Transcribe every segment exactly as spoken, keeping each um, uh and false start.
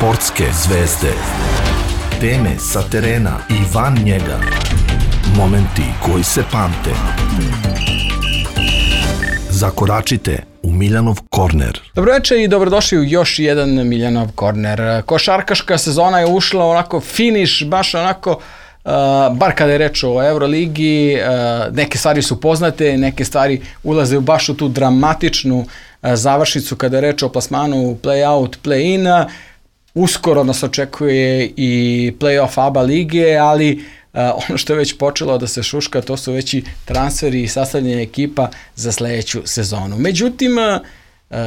Sportske zvezde. Teme sa terena i van njega. Momenti koji se pamte. Zakoračite u Miljanov korner. Dobroveče i dobrodošli u još jedan Miljanov korner. Košarkaška sezona je ušla onako finiš, baš onako, uh, bar kada je reč o Euroligi, uh, neke stvari su poznate, neke stvari ulaze baš u tu dramatičnu uh, završnicu kada je reč o plasmanu play-out, play-in. Uskoro nas očekuje i play-off A B A lige, ali Uh, ono što je već počelo da se šuška, to su već i transferi i sastavljanje ekipa za sledeću sezonu. Međutim, uh,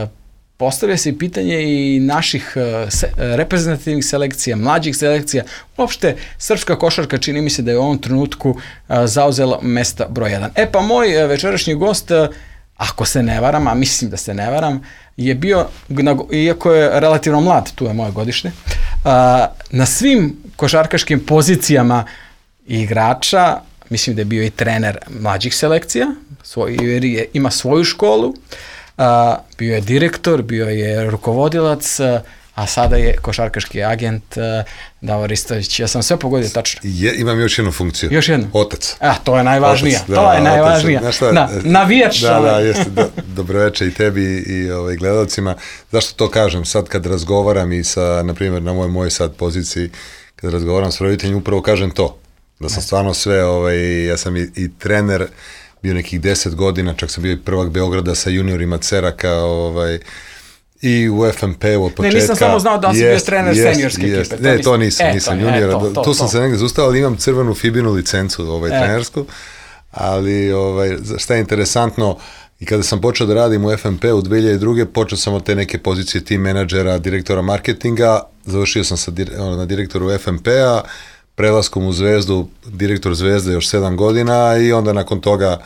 postavlja se pitanje i naših uh, se, reprezentativnih selekcija, mlađih selekcija. Uopšte, srpska košarka čini mi se da je u ovom trenutku uh, zauzela mesta broj jedan. E pa moj uh, večerašnji gost, uh, ako se ne varam, a mislim da se ne varam, je bio, iako je relativno mlad, tu je moje godišnje, uh, na svim košarkaškim pozicijama igrača, mislim da je bio i trener mlađih selekcija, svoj, jer je, ima svoju školu, a, bio je direktor, bio je rukovodilac, a sada je košarkaški agent a, Davor Ristović. Ja sam sve pogodio tačno. Je, imam još jednu funkciju. Još jednu? Otac. A, to je najvažnija. Otac, da, to je najvažnija. Otac, šta, da, navijač. Da, da, jeste. Do, dobroveče i tebi i, i ovaj, gledalcima. Zašto to kažem? Sad kad razgovaram i sa, na primjer, na mojoj moj sad poziciji, kad razgovaram s roditeljima, upravo kažem to. Da sam stvarno sve, ovaj, ja sam i, i trener, bio nekih deset godina, čak sam bio i prvak Beograda sa juniorima Ceraka, ovaj, i u F M P-u od početka. Ne, nisam samo znao da sam bio trener jest, seniorske jest. ekipe. To ne, to nisam, e, nisam to, juniora. E, to, to, tu sam to. se negdje zaustavio, ali imam crvenu Fibinu licencu, ovaj, e. trenersku, ali ovaj, šta je interesantno, i kada sam počeo da radim u F M P-u dve hiljade druge. počeo sam od te neke pozicije team menadžera, direktora marketinga, završio sam sa, na direktoru F M P-a, prelaskom u Zvezdu, direktor Zvezde još sedam godina i onda nakon toga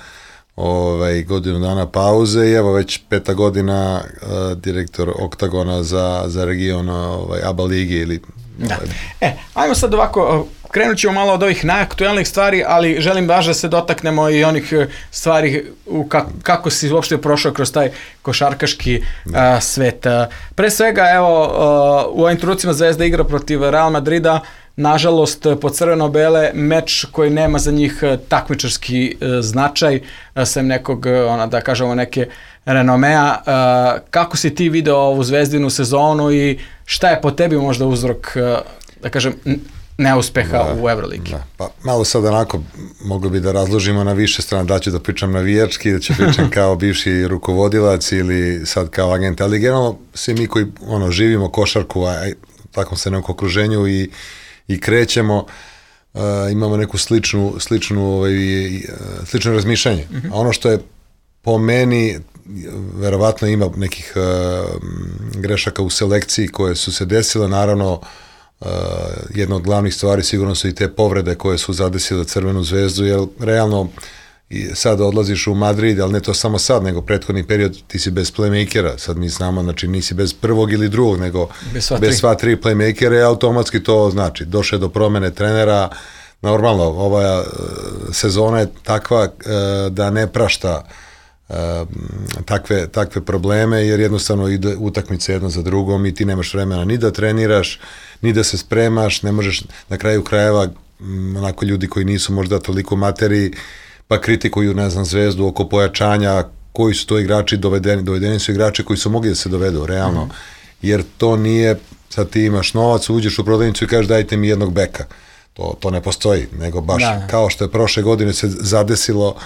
ovaj, godinu dana pauze i evo već peta godina uh, direktor Oktagona za, za region ovaj, A B A ligi. Ili, da. Ovaj. E, ajmo sad ovako, krenut ćemo malo od ovih najaktuelnih stvari, ali želim baš da se dotaknemo i onih stvari u ka, kako si uopšte prošao kroz taj košarkaški uh, svet. Pre svega, evo, uh, u ovim trenucima Zvezda igra protiv Real Madrida, nažalost, po crveno-bele, meč koji nema za njih takmičarski e, značaj, sem nekog, ona, da kažemo, neke renomea. E, kako si ti video ovu Zvezdinu sezonu i šta je po tebi možda uzrok, e, da kažem, neuspeha da, u Euroligi? Da. Pa malo sad onako, mogli bi da razložimo na više strane, da ću da pričam navijački, da ću pričam kao bivši rukovodilac ili sad kao agent, ali generalno svi mi koji ono, živimo košarku, a u takvom se nekom okruženju i i krećemo, uh, imamo neku sličnu, sličnu, ovaj, slično razmišljanje. Mm-hmm. A ono što je po meni, verovatno ima nekih uh, grešaka u selekciji koje su se desile, naravno uh, jedna od glavnih stvari sigurno su i te povrede koje su zadesile Crvenu zvezdu, jer realno i sad odlaziš u Madrid, ali ne to samo sad, nego prethodni period ti si bez playmakera, sad mi znamo, znači nisi bez prvog ili drugog, nego bez sva, bez sva tri playmakera i automatski to znači, došle do promene trenera, normalno, ova sezona je takva da ne prašta takve, takve probleme, jer jednostavno ide utakmice jedno za drugom i ti nemaš vremena ni da treniraš, ni da se spremaš, ne možeš na kraju krajeva, onako ljudi koji nisu možda toliko materiji, pa kritikuju, ne znam, Zvezdu oko pojačanja, koji su to igrači dovedeni, dovedeni su igrači koji su mogli da se dovedu, realno, mm. jer to nije, sad ti imaš novac, uđeš u prodavnicu i kažeš dajte mi jednog beka, to, to ne postoji, nego baš da. Kao što je prošle godine se zadesilo,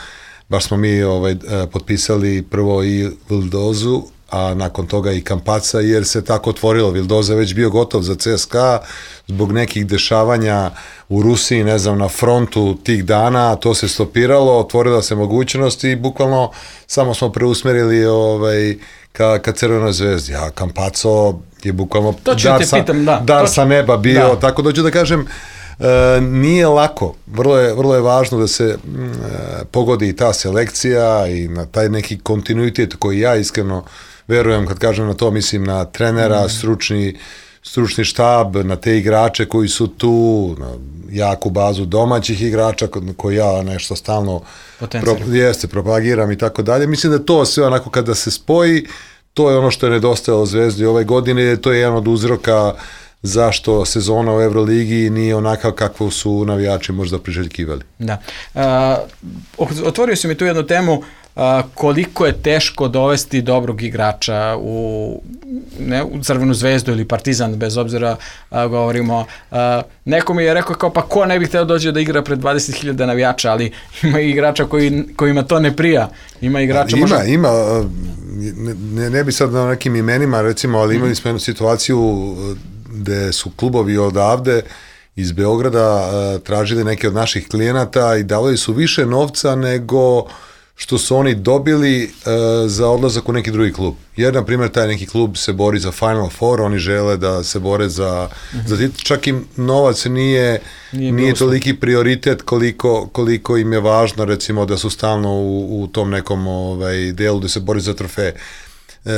baš smo mi ovaj, potpisali prvo i Vildozu, a nakon toga i Kampaca, jer se tako otvorilo. Vildoza je već bio gotov za C S K A, zbog nekih dešavanja u Rusiji, ne znam, na frontu tih dana, to se stopiralo, otvorila se mogućnost i bukvalno samo smo preusmerili ovaj, ka, ka Crvenoj zvezdi, a Kampaco je bukvalno dar, sa, pitam, da. dar sa neba bio, da. Tako dođu da kažem, E, nije lako, vrlo je, vrlo je važno da se e, pogodi i ta selekcija i na taj neki kontinuitet koji ja iskreno verujem, kad kažem na to, mislim na trenera, mm. stručni, stručni štab, na te igrače koji su tu, na jaku bazu domaćih igrača koji ja nešto stalno pro, jeste, propagiram i tako dalje. Mislim da to sve onako kada se spoji, to je ono što je nedostajalo Zvezdi ove godine, to je jedan od uzroka zašto sezona u Euroligi nije onakav kakvu su navijači možda priželjkivali. Da. Uh, otvorio si mi tu jednu temu, uh, koliko je teško dovesti dobrog igrača u, ne, u Crvenu zvezdu ili Partizan, bez obzira uh, govorimo. Uh, neko mi je rekao kao, pa ko ne bi hteo dođe da igra pred dvadeset hiljada navijača, ali ima i igrača koji, kojima to ne prija. Ima igrača ima, možda... ima, ne, ne bi sad na nekim imenima, recimo, ali imali smo jednu situaciju gde su klubovi odavde iz Beograda uh, tražili neke od naših klijenata i davali su više novca nego što su oni dobili uh, za odlazak u neki drugi klub. Jer, na primjer, taj neki klub se bori za Final Four, oni žele da se bore za, mm-hmm. za titul, čak im novac nije, nije, nije toliki prioritet koliko, koliko im je važno, recimo, da su stalno u, u tom nekom ovaj, delu da se bori za trofeje. Uh,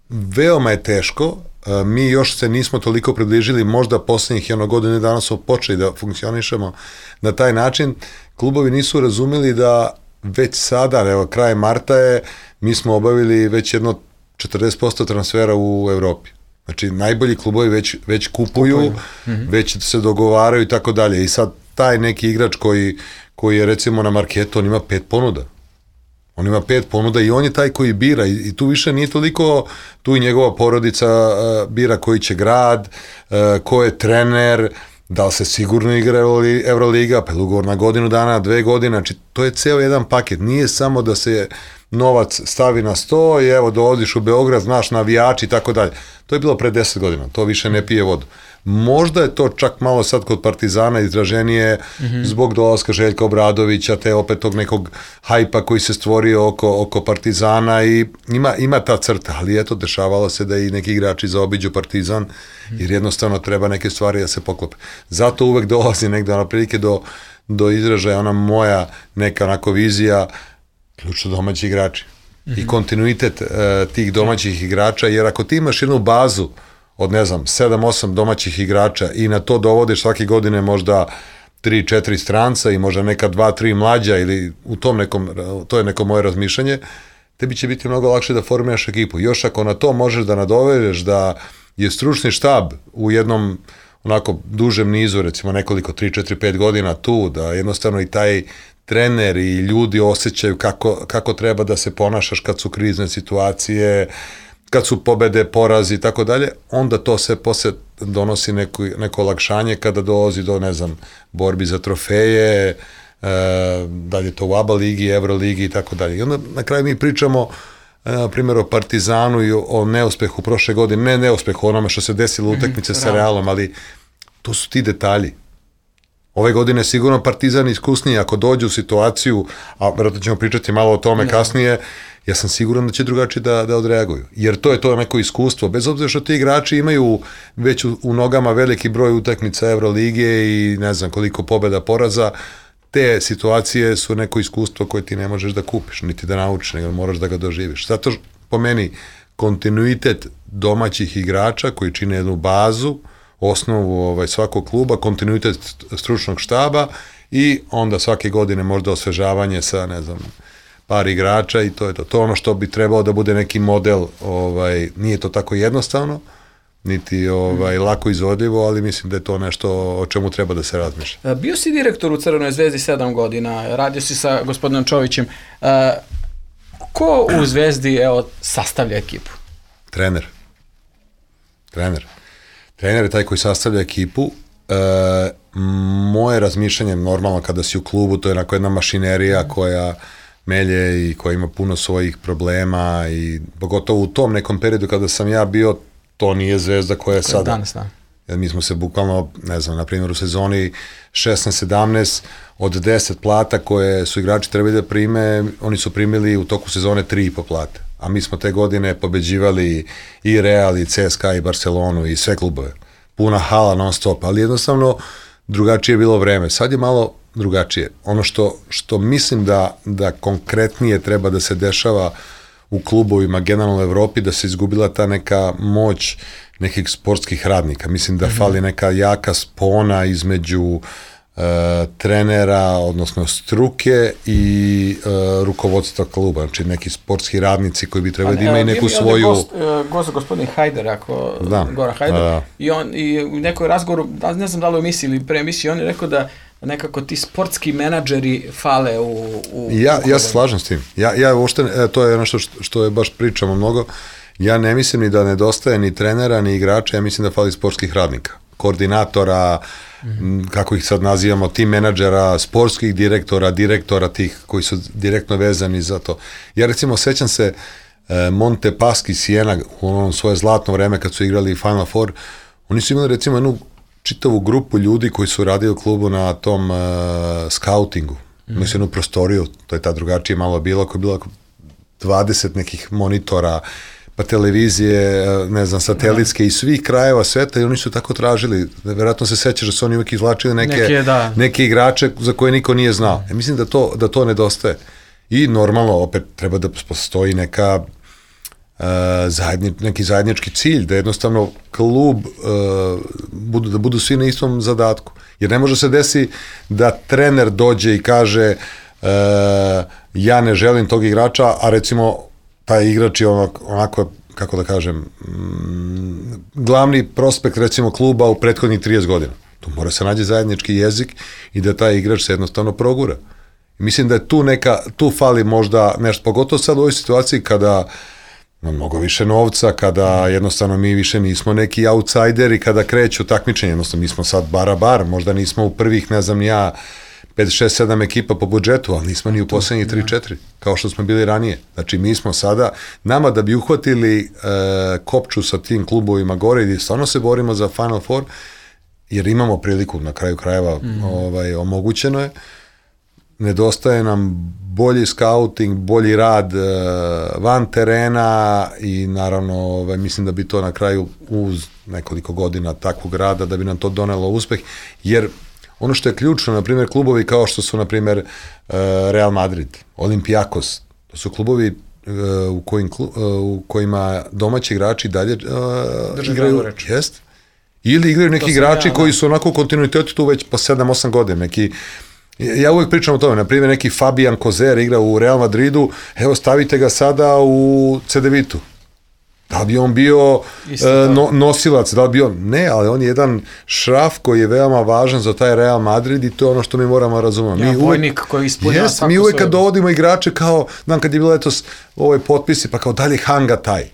veoma je teško. Mi još se nismo toliko približili, možda posljednjih jedno godine dana smo počeli da funkcionišemo na taj način. Klubovi nisu razumeli da već sada, evo kraj marta je, mi smo obavili već jedno četrdeset posto transfera u Evropi. Znači najbolji klubovi već, već kupuju, kupuju. Mm-hmm. već se dogovaraju i tako dalje. I sad taj neki igrač koji, koji je recimo na marketu, on ima pet ponuda. On ima pet ponuda i on je taj koji bira i, i tu više nije toliko, tu i njegova porodica uh, bira koji će grad, uh, ko je trener, da li se sigurno igra Euroliga, pa je ugovor na godinu dana, dve godine, znači to je ceo jedan paket, nije samo da se novac stavi na sto i evo dolaziš u Beograd, znaš navijači i tako dalje. To je bilo pre deset godina, to više ne pije vodu. Možda je to čak malo sad kod Partizana izraženije mm-hmm. zbog dolaska Željka Obradovića, te opet tog nekog hajpa koji se stvorio oko, oko Partizana i ima, ima ta crta, ali eto, dešavalo se da i neki igrači zaobiđu Partizan, mm-hmm. jer jednostavno treba neke stvari da se poklope. Zato uvek dolazi negde na prilike do, do izražaja ona moja neka onako vizija, ključno domaći igrači mm-hmm. i kontinuitet uh, tih domaćih igrača, jer ako ti imaš jednu bazu od, ne znam, sedam osam domaćih igrača i na to dovodiš svake godine možda tri četiri stranca i možda neka dva tri mlađa ili u tom nekom, to je neko moje razmišljanje, tebi će biti mnogo lakše da formiraš ekipu. Još ako na to možeš da nadovedeš da je stručni štab u jednom onako dužem nizu, recimo nekoliko tri četiri pet godina tu, da jednostavno i taj trener i ljudi osjećaju kako, kako treba da se ponašaš kad su krizne situacije, kad su pobede, porazi i tako dalje, onda to se posle donosi neko, neko olakšanje kada dolazi do, ne znam, borbi za trofeje, e, da li je to u ABA ligi, Euroligi i tako dalje. I onda na kraju mi pričamo, e, na primjer, o Partizanu i o, o neuspehu prošle godine, ne neuspehu onome što se desilo u utakmice sa Realom, ali to su ti detalji. Ove godine sigurno Partizan iskusniji, ako dođe u situaciju, a vjerojatno ćemo pričati malo o tome ne. kasnije, ja sam siguran da će drugačije da, da odreaguju. Jer to je to neko iskustvo. Bez obzira što ti igrači imaju već u, u nogama veliki broj utakmica Evrolige i ne znam koliko pobjeda, poraza, te situacije su neko iskustvo koje ti ne možeš da kupiš, niti da naučiš, nego moraš da ga doživiš. Zato po meni kontinuitet domaćih igrača koji čine jednu bazu, osnovu ovaj, svakog kluba, kontinuitet stručnog štaba i onda svake godine možda osvežavanje sa, ne znam, par igrača i to je to. To je ono što bi trebalo da bude neki model, ovaj, nije to tako jednostavno, niti ovaj, lako izvodljivo, ali mislim da je to nešto o čemu treba da se razmišlja. Bio si direktor u Crvenoj zvezdi sedam godina, radio si sa gospodinom Čovićem. Ko u Zvezdi, evo, sastavlja ekipu? Trener. Trener. Trener je taj koji sastavlja ekipu. E, moje razmišljanje, normalno kada si u klubu, to je onako jedna mašinerija koja melje i koja ima puno svojih problema i pogotovo u tom nekom periodu kada sam ja bio, to nije Zvezda koja je sada. Danas, da. Jer mi smo se bukvalno, ne znam, na primjer u sezoni šesnaest sedamnaest od deset plata koje su igrači trebali da prime, oni su primili u toku sezone tri i po plate. A mi smo te godine pobeđivali i Real, i C S K A, i Barcelonu, i sve klubove. Puna hala non stop, ali jednostavno drugačije je bilo vreme. Sad je malo drugačije. Ono što, što mislim da, da konkretnije treba da se dešava u klubovima, generalno u Evropi, da se izgubila ta neka moć nekih sportskih radnika. Mislim da mm-hmm. fali neka jaka spona između uh, trenera, odnosno struke i uh, rukovodstva kluba, znači neki sportski radnici koji bi trebali da imaju neku svoju... Gost, gost gospodin Hajder, ako da, Goran Hajder, da. i on i u nekoj razgovoru, ne znam da li u emisiji ili pre emisiji, on je rekao da nekako ti sportski menadžeri fale u... u ja, ja se slažem s tim. Ja, ja uopšte, to je ono što, što je baš pričamo mnogo, ja ne mislim ni da nedostaje ni trenera, ni igrača, ja mislim da fali sportskih radnika, koordinatora, mm. kako ih sad nazivamo, tim menadžera, sportskih direktora, direktora tih koji su direktno vezani za to. Ja recimo sećam se eh, Monte Paschi Siena u onom svoje zlatno vreme kad su igrali Final Four, oni su imali recimo jednu čitavu grupu ljudi koji su radili u klubu na tom uh, skautingu. Mm. Imali su jednu prostoriju, to je ta drugačije malo bilo, koja je bila dvadeset nekih monitora, pa televizije, ne znam, satelitske i svih krajeva sveta i oni su tako tražili. Vjerojatno se sećaš da su oni uvijek izvlačili neke, neke, da. neke igrače za koje niko nije znao. Ja mislim da to, da to nedostaje. I normalno, opet, treba da postoji neka uh, zajedni, neki zajednički cilj, da jednostavno klub uh, budu, da budu svi na istom zadatku. Jer ne može se desi da trener dođe i kaže uh, ja ne želim tog igrača, a recimo taj igrač je onako, onako kako da kažem, mm, glavni prospekt recimo kluba u prethodnih trideset godina. Tu mora se nađe zajednički jezik i da taj igrač se jednostavno progura. I mislim da je tu neka, tu fali možda nešto, pogotovo sad u ovoj situaciji kada ima mnogo više novca, kada jednostavno mi više nismo neki outsideri, kada kreću takmičenje, jednostavno mi smo sad bara bar, možda nismo u prvih, ne znam ja, pet, šest, sedam ekipa po budžetu, ali nismo ni u poslednjih tri četiri, kao što smo bili ranije. Znači, mi smo sada, nama da bi uhvatili e, kopču sa tim klubovima gore i stvarno se borimo za Final Four, jer imamo priliku, na kraju krajeva, mm. ovaj, omogućeno je, nedostaje nam bolji scouting, bolji rad e, van terena i naravno, ovaj, mislim da bi to na kraju uz nekoliko godina takvog rada, da bi nam to donelo uspeh, jer ono što je ključno, na primjer, klubovi kao što su, na primjer, Real Madrid, Olympiakos, to su klubovi u, kojim, u kojima domaći igrači dalje uh, igraju, jest, ili igraju neki igrači ja, koji su onako u kontinuitetu tu već po sedam osam godina, neki, ja uvijek pričam o tome, na primjer, neki Fabian Kozer igra u Real Madridu, evo stavite ga sada u C D Vitu. Da li bi on bio uh, no, nosilac, da li bi on, ne, ali on je jedan šraf koji je veoma važan za taj Real Madrid i to je ono što mi moramo razumjeti. Ja, mi vojnik koji ispunja yes, mi uvijek kad dovodimo igrače kao, znam kad je bilo eto ovaj potpisi, pa kao dalje Hanga taj.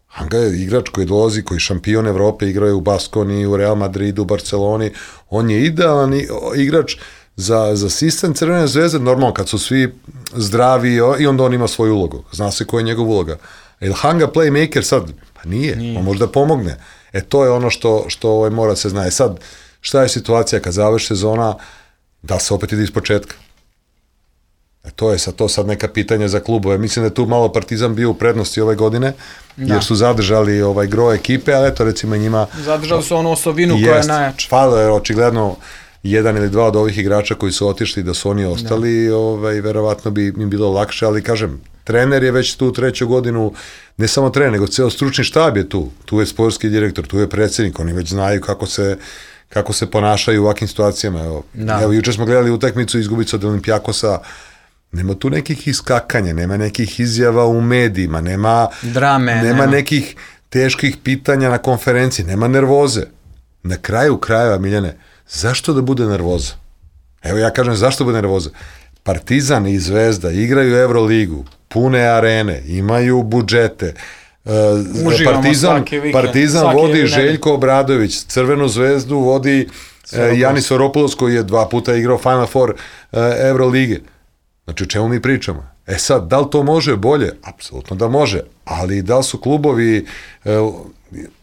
Hanga je igrač koji dolazi, koji je šampion Evrope, igrao je u Baskoni, u Real Madridu, u Barceloni, on je idealan igrač za, za sistem Crvene zvezde, normalno kad su svi zdravi i onda on ima svoju ulogu, zna se koja je njegov uloga. Je li Hanga playmaker sad? Pa nije, nije. On možda pomogne. E to je ono što, što ovaj mora se zna. E sad, šta je situacija kad završi sezona, da se opet ide iz početka? E to je sad, to sad neka pitanja za klubove. Mislim da je tu malo Partizan bio u prednosti ove godine, da. Jer su zadržali ovaj gro ekipe, ali eto recimo njima... Zadržali su onu osobinu koja je najjača. Falo je očigledno jedan ili dva od ovih igrača koji su otišli, da su oni ostali, ovaj, verovatno bi im bilo lakše, ali kažem, trener je već tu treću godinu, ne samo trener, nego ceo stručni štab je tu. Tu je sportski direktor, tu je predsjednik, oni već znaju kako se, kako se ponašaju u ovakvim situacijama. Evo, evo juče smo gledali utakmicu izgubicu od Olympiakosa, nema tu nekih iskakanja, nema nekih izjava u medijima, nema, Drame, nema, nema nekih teških pitanja na konferenciji, nema nervoze. Na kraju krajeva, Miljane, zašto da bude nervoza? Evo ja kažem, zašto bude nervoza? Partizan i Zvezda igraju Euroligu, pune arene, imaju budžete. Uživamo Partizan, vikend, Partizan vodi Željko Obradović, Crvenu zvezdu vodi Janis Oropoulos koji je dva puta igrao Final Four Eurolige. Znači, o čemu mi pričamo? E sad, da li to može bolje? Apsolutno da može, ali da li su klubovi...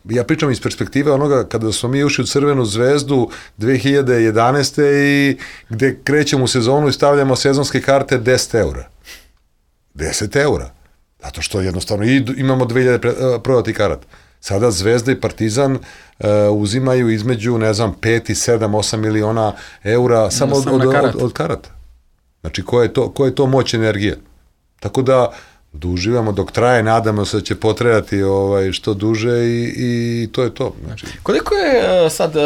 Ja pričam iz perspektive onoga kada smo mi ušli u Crvenu zvezdu dve hiljade jedanaeste. i gde krećemo u sezonu i stavljamo sezonske karte deset eura. deset eura. Zato što jednostavno i imamo dve hiljade prodati karata. Sada Zvezda i Partizan uh, uzimaju između, ne znam, pet i sedam, osam miliona eura samo od, od, od, od karata. Znači, koja je to, koja je to moć energije? Tako da, Uživamo dok traje, nadamo se da će potrajati ovaj, što duže i, i to je to. Znači. Koliko je sad, uh,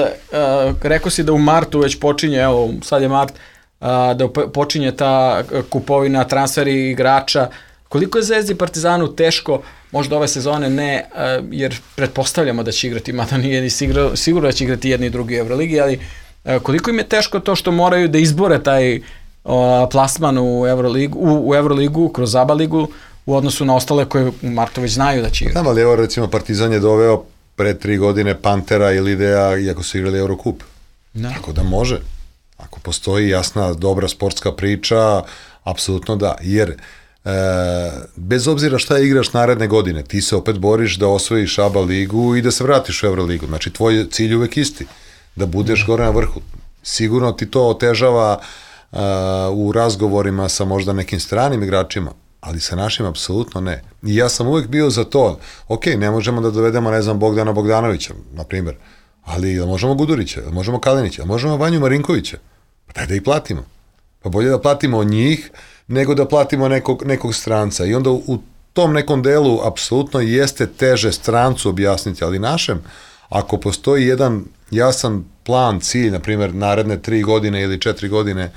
rekao si da u martu već počinje, evo sad je mart, uh, da počinje ta kupovina, transferi igrača, koliko je Zvezdi i Partizanu teško, možda ove sezone ne, uh, jer pretpostavljamo da će igrati, mada nije ni sigurno, sigurno da će igrati jedni i drugi Euroligi, ali uh, koliko im je teško to što moraju da izbore taj uh, plasman u Euroligu, u, u Euroligu kroz ABA ligu, u odnosu na ostale koje u martu već znaju da će igrati. Znam, ali evo recimo Partizan je doveo pre tri godine Pantera ili Lidea, iako su igrali Eurocup. Da. Tako da može. Ako postoji jasna, dobra sportska priča, apsolutno da. Jer e, bez obzira šta igraš naredne godine, ti se opet boriš da osvojiš ABA ligu i da se vratiš u Euroligu. Znači, tvoj cilj uvek isti. Da budeš da. gore na vrhu. Sigurno ti to otežava e, u razgovorima sa možda nekim stranim igračima, ali sa našim apsolutno ne. I ja sam uvek bio za to, ok, ne možemo da dovedemo, ne znam, Bogdana Bogdanovića, na primjer, ali da možemo Gudurića, da možemo Kalinića, da možemo Vanju Marinkovića, pa daj da ih platimo. Pa bolje da platimo njih, nego da platimo nekog, nekog stranca. I onda u tom nekom delu apsolutno jeste teže strancu objasniti, ali našem, ako postoji jedan jasan plan, cilj, na primjer, naredne tri godine ili četiri godine,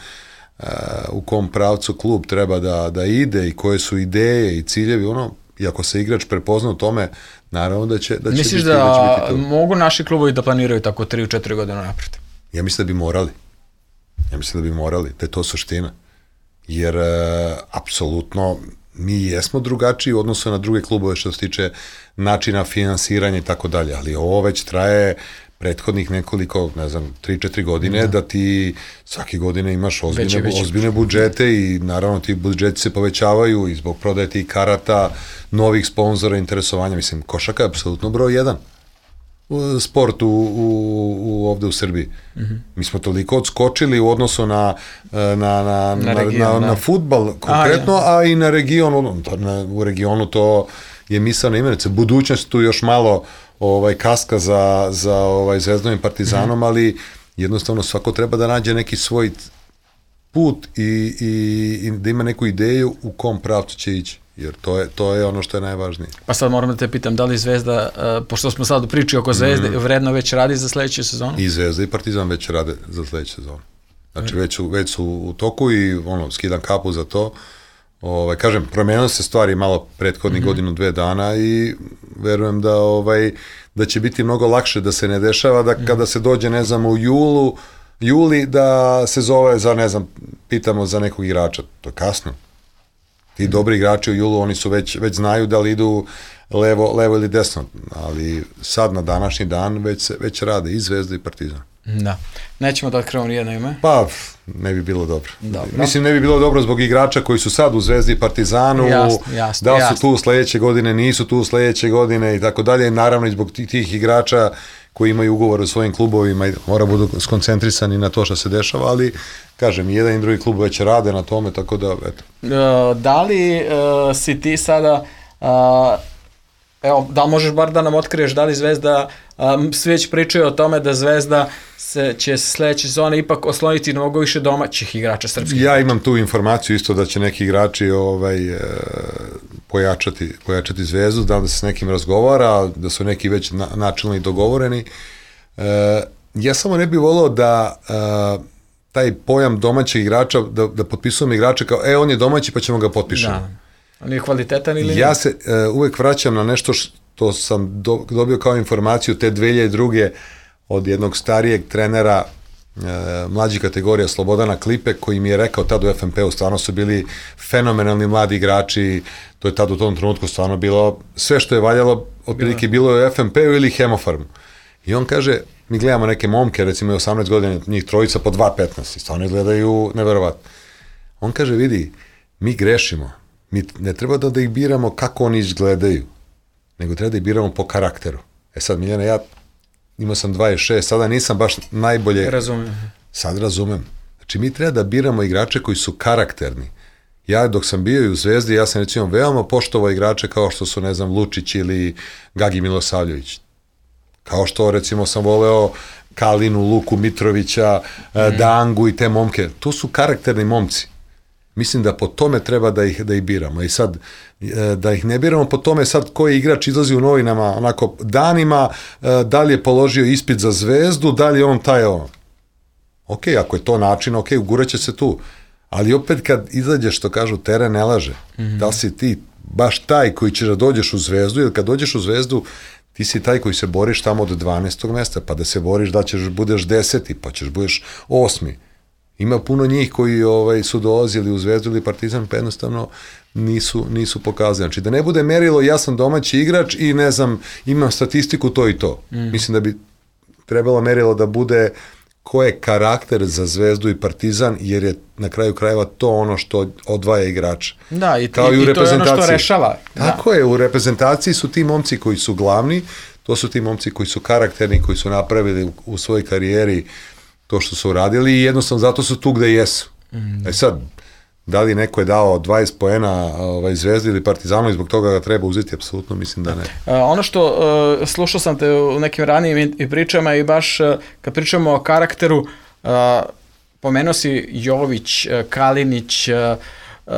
Uh, u kom pravcu klub treba da, da ide i koje su ideje i ciljevi, ono, i ako se igrač prepozna u tome, naravno da će, da će Misliš biti, da, da će biti to. Mogu naši klubovi da planiraju tako tri u četiri godine napred? Ja mislim da bi morali. Ja mislim da bi morali, da je to suština. Jer, uh, apsolutno, mi jesmo drugačiji u odnosu na druge klubove što se tiče načina finansiranja i tako dalje, ali ovo već traje prethodnih nekoliko, ne znam, tri četiri godine, da, da ti svake godine imaš ozbiljne, veći, veći. ozbiljne budžete i naravno ti budžeti se povećavaju i zbog prodaje tih karata, novih sponzora, interesovanja. Mislim, košarka je apsolutno broj jedan sport u, u, u, ovde u Srbiji. Mm-hmm. Mi smo toliko odskočili u odnosu na, na, na, na, region, na, na, na fudbal konkretno, a, a i na regionu. Na, u regionu to je misaona imenica. Budućnost tu još malo ovaj kaska za, za ovaj Zvezdom i Partizanom, mm-hmm. ali jednostavno svako treba da nađe neki svoj put i, i, i da ima neku ideju u kom pravcu će ići, jer to je, to je ono što je najvažnije. Pa sad moram da te pitam, da li Zvezda, uh, pošto smo sad u priči oko Zvezde, mm-hmm. vredno već radi za sledeću sezonu? I Zvezda i Partizan već rade za sledeću sezonu. Znači već su, već su u toku i ono, skidam kapu za to. Ovaj, kažem, promenilo se stvari malo prethodnih mm-hmm. godinu, dve dana i verujem da, ovaj, da će biti mnogo lakše da se ne dešava da mm-hmm. kada se dođe, ne znam, u julu, juli da se zove za, ne znam, pitamo za nekog igrača. To je kasno. Ti mm-hmm. dobri igrači u julu, oni su već, već znaju da li idu levo, levo ili desno, ali sad na današnji dan već, se, već rade i Zvezda i Partizan. Da. Nećemo da otkrivamo nijedno ime? Pa, ne bi bilo dobro. dobro. Mislim, ne bi bilo dobro zbog igrača koji su sad u Zvezdi i Partizanu, jasno, jasno, da li su jasno. tu sledeće godine, nisu tu sledeće godine i tako dalje. Naravno i zbog tih igrača koji imaju ugovor u svojim klubovima i mora budu skoncentrisani na to što se dešava, ali kažem, i jedan i drugi klub već rade na tome, tako da, eto. Uh, da li uh, si ti sada... Uh, Evo, da li možeš bar da nam otkriješ da li Zvezda, um, svi već pričaju o tome da Zvezda se, će sledeće sezone ipak osloniti mnogo više domaćih igrača srpskih. Ja imam tu informaciju isto da će neki igrači ovaj, e, pojačati, pojačati Zvezdu, da, da se s nekim razgovara, da su neki već na, načelno i dogovoreni. E, ja samo ne bih volao da e, taj pojam domaćeg igrača, da, da potpisujemo igrača kao, e, on je domaći pa ćemo ga potpišemo. Da. On je kvalitetan ili ja se uh, uvek vraćam na nešto što sam do, dobio kao informaciju te dve hiljade druge od jednog starijeg trenera uh, mlađih kategorija Slobodana Klipe, koji mi je rekao tad u F N P-u, stvarno su bili fenomenalni mladi igrači, to je tad u tom trenutku stvarno bilo, sve što je valjalo, otprilike bilo je u F N P-u ili Hemofarmu. I on kaže, mi gledamo neke momke, recimo osamnaest godina, njih trojica po dva petnaest, i stvarno gledaju neverovatno. On kaže, vidi, mi grešimo. Mi ne treba da, da ih biramo kako oni izgledaju, nego treba da ih biramo po karakteru. E sad, Miljana, ja imao sam dvadeset šest, sada nisam baš najbolje... Razumem. Sad razumem. Znači, mi treba da biramo igrače koji su karakterni. Ja, dok sam bio i u Zvezdi, ja sam recimo veoma poštovao igrače kao što su, ne znam, Lučić ili Gagi Milosavljević. Kao što, recimo, sam voleo Kalinu, Luku Mitrovića, mm. Dangu i te momke. To su karakterni momci. Mislim da po tome treba da ih, da ih biramo. I sad, da ih ne biramo po tome sad koji igrač izlazi u novinama onako danima, da li je položio ispit za Zvezdu, da li je on taj on. Ok, ako je to način, ok, uguraće se tu. Ali opet kad izađeš, što kažu, teren ne laže. Mm-hmm. Da li si ti baš taj koji će da dođeš u Zvezdu, ili kad dođeš u Zvezdu, ti si taj koji se boriš tamo od dvanaestog mesta, pa da se boriš da ćeš budeš deseti, pa ćeš budeš osmi. Ima puno njih koji ovaj, su dolazili u Zvezdu ili Partizan, pa jednostavno nisu, nisu pokazali. Znači, da ne bude merilo, ja sam domaći igrač i ne znam, imam statistiku to i to. Mm. Mislim da bi trebalo merilo da bude ko je karakter za Zvezdu i Partizan, jer je na kraju krajeva to ono što odvaja igrača. Da, i, Kao i, i, i to je ono što rešava. Tako da. je, u reprezentaciji su ti momci koji su glavni, to su ti momci koji su karakterni, koji su napravili u, u svojoj karijeri to što su uradili i jednostavno zato su tu gde jesu. Mm. E sad, da li neko je dao dvadeset poena ovaj, Zvezdi ili Partizanu i zbog toga ga treba uzeti, apsolutno mislim da ne. Uh, ono što, uh, slušao sam te u nekim ranijim i pričama i baš uh, kad pričamo o karakteru, uh, pomenuo si Jović, uh, Kalinić, uh, uh,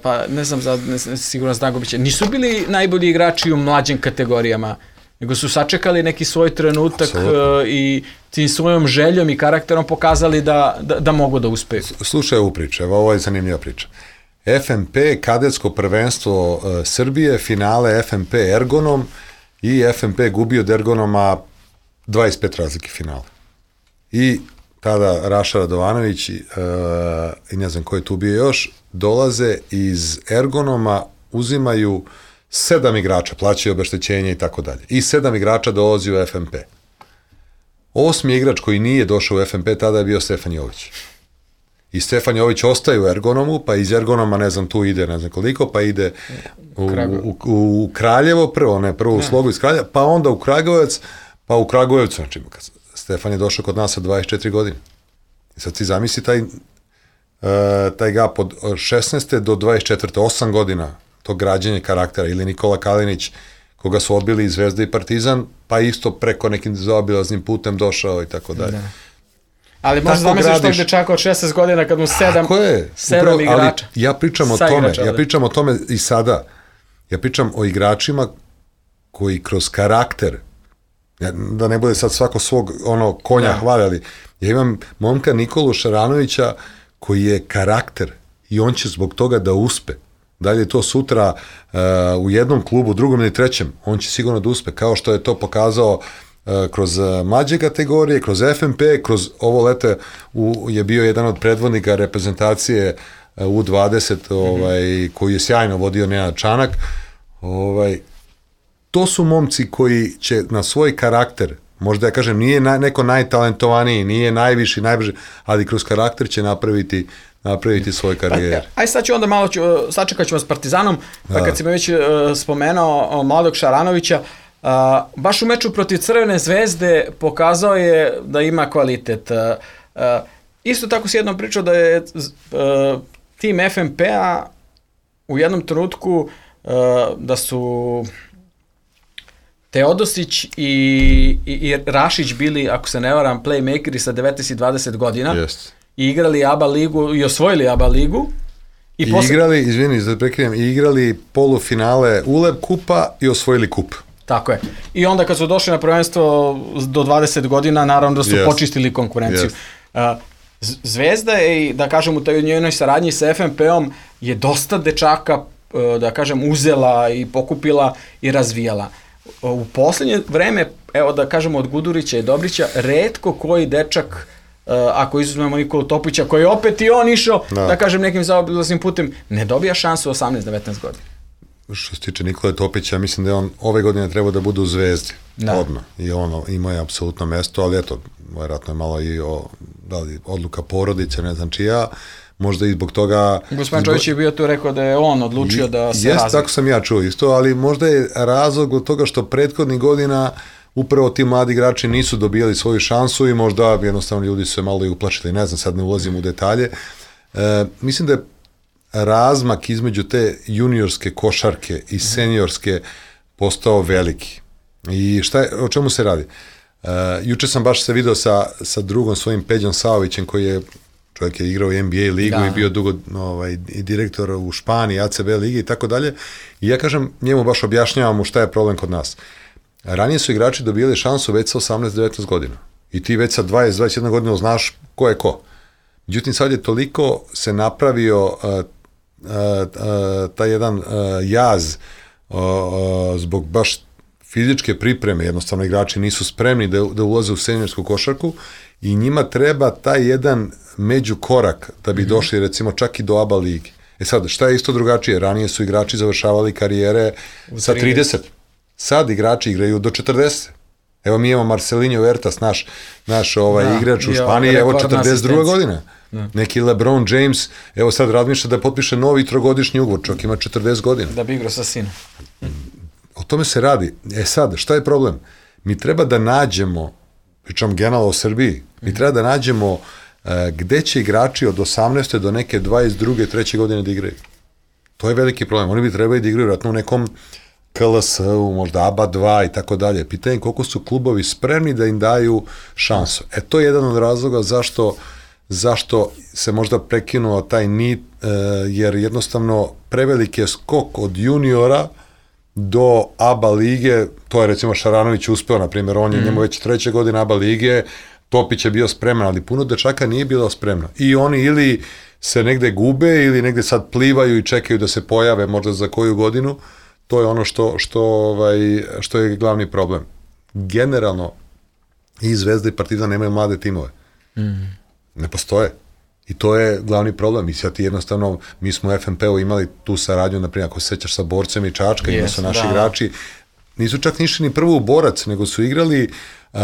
pa ne znam, za, ne, ne, sigurno Zdagović, nisu bili najbolji igrači u mlađim kategorijama, nego su sačekali neki svoj trenutak uh, i tim svojom željom i karakterom pokazali da, da, da mogu da uspeju. Slušaj ovu priču, evo ovo je zanimljiva priča. F M P, kadetsko prvenstvo uh, Srbije, finale F M P Ergonom i F M P gubio od Ergonoma dvadeset pet razlike finale. I tada Raša Radovanović uh, i ne znam ko je tu bio još, dolaze iz Ergonoma, uzimaju sedam igrača, plaćaju obeštećenje i tako dalje. I sedam igrača dolazi u F M P. Osmi igrač koji nije došao u F M P tada je bio Stefan Jović. I Stefan Jović ostaje u Ergonomu, pa iz Ergonoma, ne znam, tu ide, ne znam koliko, pa ide u, u, u Kraljevo prvo, ne, prvo u Slogu iz Kraljeva, pa onda u Kragujevac, pa u Kragujevcu, znači, Stefan je došao kod nas sa dvadeset četiri godine. I sad ti zamisli taj, uh, taj gap od šesnaeste do dvadeset četvrte, osam godina, to građenje karaktera, ili Nikola Kalinić, koga su odbili i Zvezda i Partizan, pa isto preko nekim zaobilaznim putem došao i tako dalje. Da. Ali možda zamisliš tog dečaka od šesnaest godina kad mu sedam, sedam Upravo, igrača. Ali ja pričam o tome, igrača, ja pričam o tome i sada. Ja pričam o igračima koji kroz karakter, da ne bude sad svako svog ono konja da. hvaljali. Ja imam momka Nikolu Šaranovića koji je karakter i on će zbog toga da uspe. Da li je to sutra uh, u jednom klubu, drugom ili trećem, on će sigurno da uspe, kao što je to pokazao uh, kroz uh, mlađe kategorije, kroz F M P, kroz ovo lete u, je bio jedan od predvodnika reprezentacije uh, U dvadeset, ovaj, mm-hmm. koji je sjajno vodio Nenad Čanak. Ovaj, to su momci koji će na svoj karakter, možda ja kažem, nije na, neko najtalentovaniji, nije najviši, najbrži, ali kroz karakter će napraviti napraviti svoj karijer. Pa, aj sad ću onda malo, ću, sačekat ćemo s Partizanom, pa kad si me već uh, spomenuo mladog Šaranovića, uh, baš u meču protiv Crvene Zvezde pokazao je da ima kvalitet. Uh, uh, isto tako si jednom pričao da je uh, tim F M P-a u jednom trenutku uh, da su Teodosić i, i, i Rašić bili, ako se ne varam, playmakeri sa devetnaest i dvadeset godina. Jeste. I igrali A B A ligu i osvojili A B A ligu. I, I posle... igrali, izvini, da prekrijem, i igrali polufinale U L E B kupa i osvojili kup. Tako je. I onda kad su došli na prvenstvo do dvadeset godina, naravno da su yes. počistili konkurenciju. Yes. Uh, Zvezda je, da kažem, u toj njenoj saradnji sa F M P-om je dosta dečaka, uh, da kažem, uzela i pokupila i razvijala. U poslednje vreme, evo da kažemo od Gudurića i Dobrića, retko koji dečak, uh, ako izuzmemo Nikolu Topića, koji je opet i on išao, da, da kažem, nekim zaobilaznim putem, ne dobija šansu osamnaest devetnaest godina. Što se tiče Nikole Topića, mislim da je on ove godine trebao da bude u Zvezdi, da. odmah. I ono, imao je apsolutno mesto, ali eto, vjerojatno je malo i o, da li, odluka porodice, ne znam čija, možda i zbog toga... Gospodin Čović je bio tu rekao da je on odlučio I, da se jest, razvije. Tako sam ja čuo isto, ali možda je razlog od toga što prethodnih godina upravo ti mladi igrači nisu dobijali svoju šansu i možda jednostavno ljudi su se malo i uplašili, ne znam, sad ne ulazim u detalje. E, mislim da je razmak između te juniorske košarke i seniorske postao veliki. I šta je, o čemu se radi? Uh, juče sam baš se video sa, sa drugom svojim Peđom Saovićem, koji je čovjek je igrao u N B A ligu da. i bio dugo ovaj, i direktor u Španiji, A C B ligi i tako dalje. I ja kažem, njemu baš objašnjavam mu šta je problem kod nas. Ranije su igrači dobijali šansu već sa osamnaest devetnaest godina. I ti već sa dvadeset dvadeset jedna godina znaš ko je ko. Međutim, sad je toliko se napravio uh, uh, uh, taj jedan uh, jaz uh, uh, zbog baš fizičke pripreme, jednostavno igrači nisu spremni da, da ulaze u seniorsku košarku i njima treba taj jedan međukorak da bi mm-hmm. došli recimo čak i do A B A ligi. E sad, šta je isto drugačije? Ranije su igrači završavali karijere u sa trideset. Sad igrači igraju do četrdeset. Evo mi imamo Marcelinho Huertas, naš, naš ovaj da, igrač u Španiji, evo četrdeset druga godina. Da. Neki LeBron James, evo sad razmišlja da potpiše novi trogodišnji ugovor, čovjek ima četrdeset godina. Da bi igrao sa sinom. O tome se radi. E sad, šta je problem? Mi treba da nađemo, pričam generalno o Srbiji, mi treba da nađemo uh, gde će igrači od osamnaeste do neke dvadeset druge treće godine da igraju. To je veliki problem. Oni bi trebali da igraju vratno u nekom K L S-u, možda A B A dva i tako dalje. Pitanje koliko su klubovi spremni da im daju šansu. E to je jedan od razloga zašto, zašto se možda prekinuo taj nit, uh, jer jednostavno preveliki je skok od juniora do A B A lige, to je recimo Šaranović uspeo, na primjer, on je mm. njemu već treće godine A B A lige, Topić je bio spreman, ali puno dečaka nije bilo spremno. I oni ili se negde gube, ili negde sad plivaju i čekaju da se pojave možda za koju godinu, to je ono što, što, ovaj, što je glavni problem. Generalno, i Zvezda i Partizan nemaju mlade timove. Mm. Ne postoje. I to je glavni problem. I sad ti jednostavno, mi smo u F N P-u imali tu saradnju, naprimjer, ako se sećaš sa Borcem i Čačka, yes, ima su naši da. igrači, nisu čak nišli ni prvo u Borac, nego su igrali uh,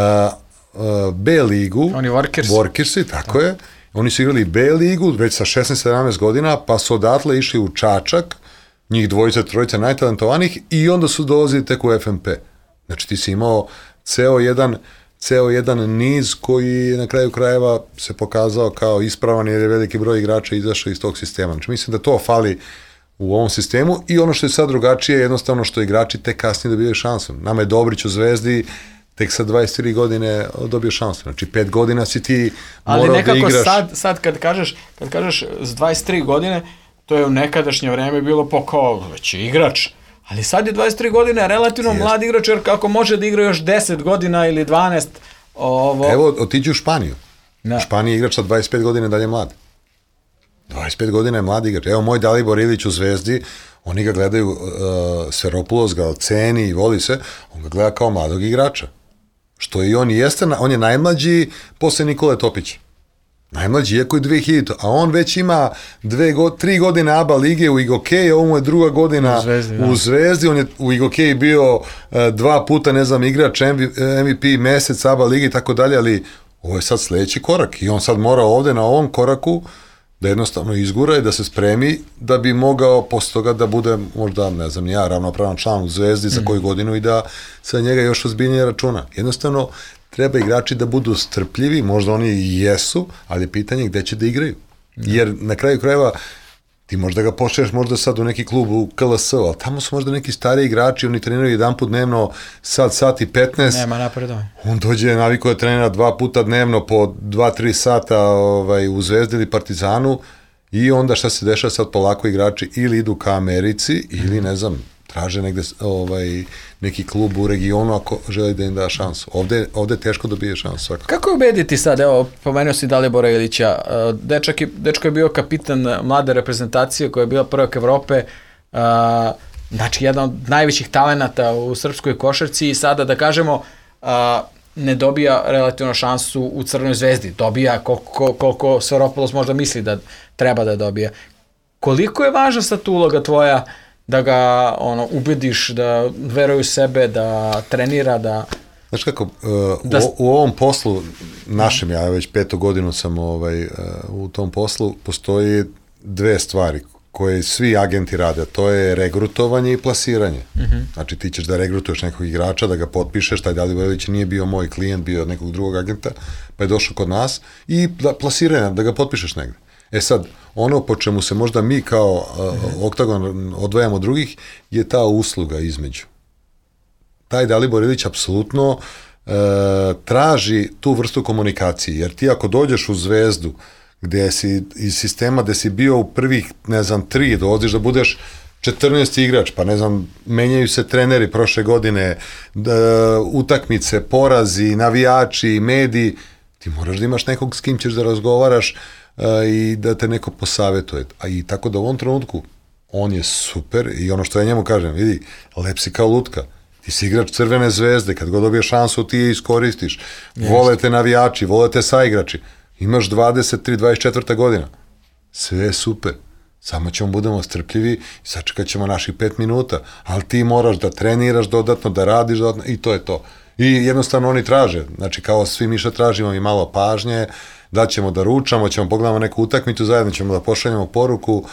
uh, B ligu. Oni Workers. Workersi, tako da. je. Oni su igrali B ligu već sa šesnaest sedamnaest godina, pa su odatle išli u Čačak, njih dvojica, trojica najtalentovanih, i onda su dolazili tek u F N P. Znači ti si imao ceo jedan ceo jedan niz koji na kraju krajeva se pokazao kao ispravan jer je veliki broj igrača izašao iz tog sistema. Znači mislim da to fali u ovom sistemu i ono što je sad drugačije je jednostavno što igrači tek kasnije dobijaju šansu. Nama je Dobrić u Zvezdi tek sa dvadeset tri godine dobio šansu. Znači pet godina si ti morao da igraš. Ali nekako sad, sad kad kažeš, kad kažeš s dvadeset tri godine, to je u nekadašnje vreme bilo po kao već igrač. Ali sad je dvadeset tri godine relativno Jest. mlad igrač, jer kako može da igra još deset godina ili dvanaest. Ovo... Evo, otiđi u Španiju. Da. U Španiji igrač sa dvadeset pet godina dalje mlad. dvadeset pet godina je mlad igrač. Evo moj Dalibor Ilić u Zvezdi, oni ga gledaju, uh, Seropulos ga ceni i voli se, on ga gleda kao mladog igrača. Što i on jeste, on je najmlađi posle Nikole Topića. Najmlađi, iako je dve hiljadite, a on već ima dve go, tri godine A B A lige u Igokeji, ovo mu je druga godina u Zvezdi, u Zvezdi. On je u Igokeji bio uh, dva puta, ne znam, igrač M V P mesec A B A lige i tako dalje, ali ovo je sad sledeći korak i on sad mora ovde na ovom koraku da jednostavno izgura i da se spremi da bi mogao posle toga da bude možda, ne znam, ja ravnopravan član u Zvezdi za koju godinu i da sa njega još ozbiljnije računa. Jednostavno, treba igrači da budu strpljivi, možda oni i jesu, ali je pitanje gde će da igraju. Jer na kraju krajeva ti možda ga pošliješ možda sad u neki klub u K L S-u, ali tamo su možda neki stari igrači, oni treniraju jedan put dnevno, sad, sat i petnaest. Nema napredovanja. On dođe naviko da trenira dva puta dnevno po dva tri sata ovaj, u Zvezdi ili Partizanu i onda šta se dešava sad polako igrači ili idu ka Americi ili ne znam, traže negde ovaj, neki klub u regionu ako želi da im da šansu. Ovde, ovde teško dobije šansu. Svakako. Kako je ubediti sad, evo, pomenuo si Dalibora Ilića, dečak je, dečko je bio kapitan mlade reprezentacije koja je bila prvak Evrope, uh, znači jedan od najvećih talenata u srpskoj košarci i sada da kažemo uh, ne dobija relativno šansu u Crvenoj Zvezdi, dobija koliko, koliko Seropulos možda misli da treba da dobija. Koliko je važna sad tu uloga tvoja da ga ono ubediš da veruje u sebe, da trenira, da... Znaš kako, uh, da... u, u ovom poslu našem, ja već petu godinu sam ovaj, uh, u tom poslu, postoji dve stvari koje svi agenti rade, to je regrutovanje i plasiranje. Mm-hmm. Znači ti ćeš da regrutuješ nekog igrača, da ga potpišeš, taj Dalibor Ilić nije bio moj klijent, bio od nekog drugog agenta, pa je došao kod nas i da, plasiranje, da ga potpišeš negde. E sad, ono po čemu se možda mi kao uh, Oktagon odvajamo od drugih je ta usluga između. Taj Dalibor Ilić apsolutno uh, traži tu vrstu komunikacije, jer ti ako dođeš u Zvezdu gde si iz sistema gde si bio u prvih, ne znam, tri, dolaziš da budeš četrnaesti igrač, pa ne znam, menjaju se treneri prošle godine, da, utakmice, porazi, navijači, mediji, ti moraš da imaš nekog s kim ćeš da razgovaraš a, i da te neko posavetuje. A i tako da u ovom trenutku on je super i ono što ja njemu kažem, vidi, lep si kao lutka. Ti si igrač Crvene zvezde, kad god dobiješ šansu ti je iskoristiš. Yes. Vole te navijači, vole te saigrači. Imaš dvadeset tri dvadeset četiri godina. Sve je super. Samo ćemo budemo strpljivi i sačekat ćemo naših pet minuta. Ali ti moraš da treniraš dodatno, da radiš dodatno i to je to. I jednostavno oni traže. Znači kao svi mi što tražimo i malo pažnje, da ćemo da ručamo, ćemo pogledamo neku utakmicu, zajedno ćemo da pošaljemo poruku,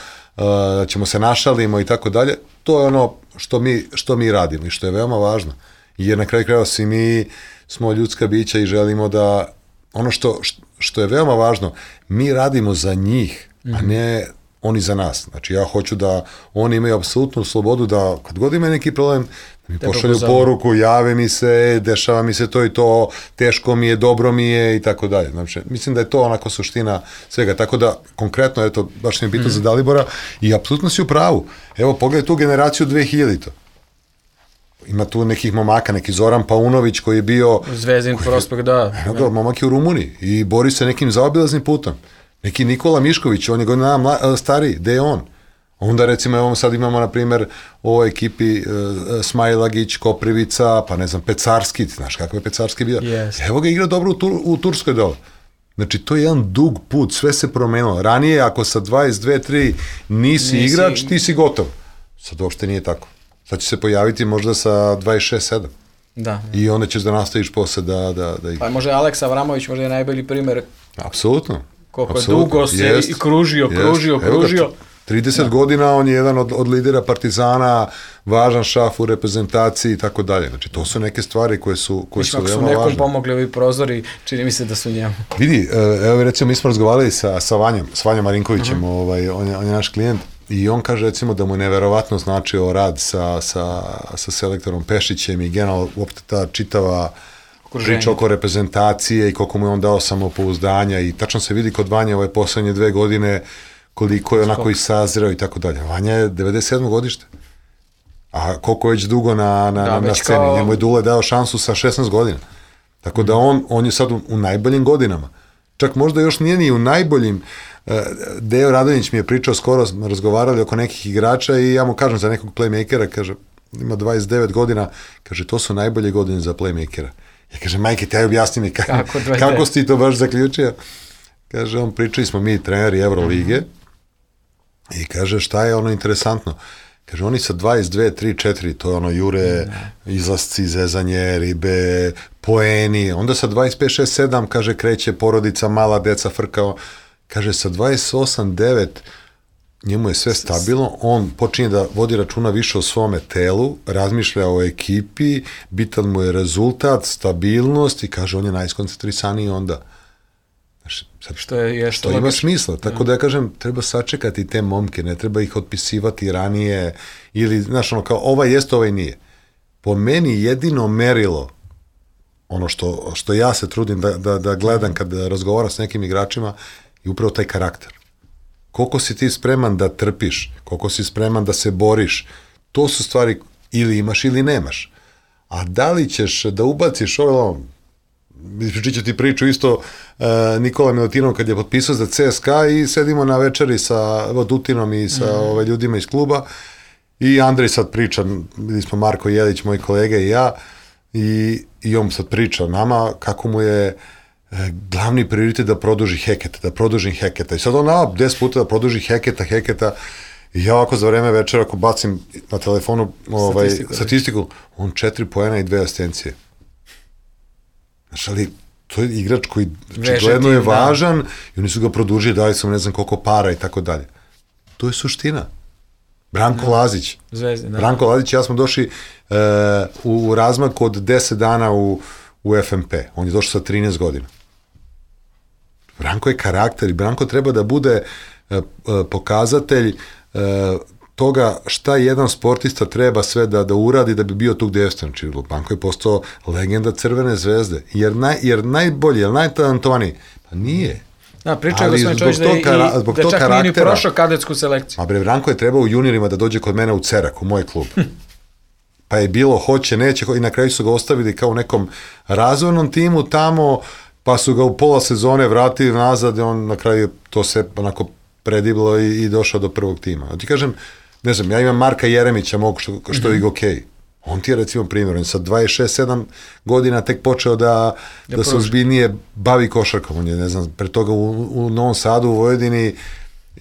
da ćemo se našalimo i tako dalje. To je ono što mi, što mi radimo i što je veoma važno. Jer na kraju krajeva svi mi smo ljudska bića i želimo da ono što, što je veoma važno, mi radimo za njih, mm-hmm. a ne oni za nas. Znači ja hoću da oni imaju apsolutnu slobodu da kad god imaju neki problem, da mi Te pošalju propozavno. Poruku, jave mi se, dešava mi se to i to, teško mi je, dobro mi je i tako dalje. Znači, mislim da je to onako suština svega. Tako da, konkretno, eto, baš mi je bitno mm. za Dalibora i apsolutno si u pravu. Evo, pogledaj tu generaciju dve hiljadite. Ima tu nekih momaka, neki Zoran Paunović koji je bio... Zvezdin prospekt, da. Evo ga, momak je u Rumuniji i bori se nekim zaobilaznim putom. Neki Nikola Mišković, on je godina mla, stariji, gde je on? Onda recimo, evo sad imamo na primjer u ovoj ekipi uh, Smajlagić, Koprivica, pa ne znam, Pecarski, znaš kako je Pecarski bio? Yes. Evo ga igra dobro u, Tur, u Turskoj dole. Znači, to je jedan dug put, sve se promenilo. Ranije, ako sa dvadeset dve tri nisi, nisi igrač, ti si gotov. Sad uopšte nije tako. Sad će se pojaviti možda sa dvadeset šest sedam. Da. I onda ćeš da nastaviš posle da, da, da igraš. Pa možda Aleks Avramović možda je najbolji primjer. Apsolutno. Koliko je dugo se jest, i kružio, jest. kružio, kružio. trideset da. godina on je jedan od, od lidera Partizana, važan šaf u reprezentaciji i tako dalje. Znači, to su neke stvari koje su, koje su veoma važne. Ako su nekom pomogli ovi prozori, čini mi se da su njemu. Vidi, evo recimo, mi smo razgovarali sa, sa Vanjom, s Vanjom Marinkovićem, uh-huh. ovaj, on, je, on je naš klijent, i on kaže recimo da mu je neverovatno značio rad sa, sa, sa selektorom Pešićem i generalno uopšte ta čitava priča oko reprezentacije i koliko mu je on dao samopouzdanja i tačno se vidi kod Vanje ove poslednje dve godine koliko je onako i sazreo i tako dalje. Vanja je devedeset sedmo godište. A koliko je već dugo na, na, da, na sceni. Kao... Njemu je Dule dao šansu sa šesnaest godina. Tako da on, on je sad u, u najboljim godinama. Čak možda još nije ni u najboljim. Dejo Radonjić mi je pričao, skoro smo razgovarali oko nekih igrača i ja mu kažem za nekog playmakera, kaže, ima dvadeset devet godina, kaže, to su najbolje godine za playmakera. Ja kažem, majke, taj objasni mi kako, kako, kako si to baš zaključio. Kaže, on, pričali smo mi treneri Evrolige mm-hmm. i kaže, šta je ono interesantno? Kaže, oni sa dvadeset dve, tri, četiri, to je ono jure, mm-hmm. izlasci, zezanje, ribe, poeni, onda sa dvadeset pet, šest, sedam, kaže, kreće porodica, mala deca, frkao. Kaže, sa dvadeset osam, devet, njemu je sve stabilno, on počinje da vodi računa više o svome telu, razmišlja o ekipi, bitan mu je rezultat, stabilnost i kaže, on je najskoncentrisaniji onda. Znaš, sad, što je, je što ima smisla, tako da ja kažem, treba sačekati te momke, ne treba ih otpisivati ranije, ili, znaš, ono, kao, ovaj jest, ovaj nije. Po meni jedino merilo, ono što, što ja se trudim da, da, da gledam kad razgovaram s nekim igračima, i upravo taj karakter. Koliko si ti spreman da trpiš, koliko si spreman da se boriš, to su stvari ili imaš ili nemaš. A da li ćeš da ubaciš ovo, ispričat ću ti priču isto uh, Nikola Milutinov kad je potpisao za C S K A i sedimo na večeri sa Vodutinom i sa mm. ove, ljudima iz kluba i Andrej sad priča, bili smo Marko Jelić, moji kolege i ja, i, i on sad priča nama kako mu je glavni prioritet da produži Heketa, da produžim Heketa. I sad on nama deset puta da produži Heketa, Heketa, i ja ovako za vreme večera ako bacim na telefonu ovaj, statistiku, statistiku, on četiri poena i dve asistencije. Znaš, ali to je igrač koji gledno je važan da. I oni su ga produžili, dali su ne znam koliko para i tako dalje. To je suština. Branko da. Lazić. Zvezde, da. Branko Lazić i ja smo došli uh, u razmak od deset dana u, u F M P. On je došao sa trinaest godina. Branko je karakter i Branko treba da bude uh, uh, pokazatelj uh, toga šta jedan sportista treba sve da, da uradi da bi bio tu gde jeste. Znači, Branko je postao legenda Crvene zvezde. Jer, naj, jer najbolji, jer najtalentovaniji, pa nije. Da, pričao je gospodin Čović da, i, kara, da čak nije ni prošao kadetsku selekciju. A bre, Branko je trebao u juniorima da dođe kod mene u Cerak, u moj klub. Pa je bilo hoće, neće, i na kraju su ga ostavili kao u nekom razvojnom timu tamo, pa su ga u pola sezone vratili nazad i on na kraju to se onako prediblo i, i došao do prvog tima. A ti kažem, ne znam, ja imam Marka Jeremića, mogu što, što mm-hmm. je okej. On ti je recimo primjer, on je sa dvadeset šest sedam godina tek počeo da, da, da se ozbiljnije bavi košarkom. On je, ne znam, pre toga u, u Novom Sadu, u Vojvodini,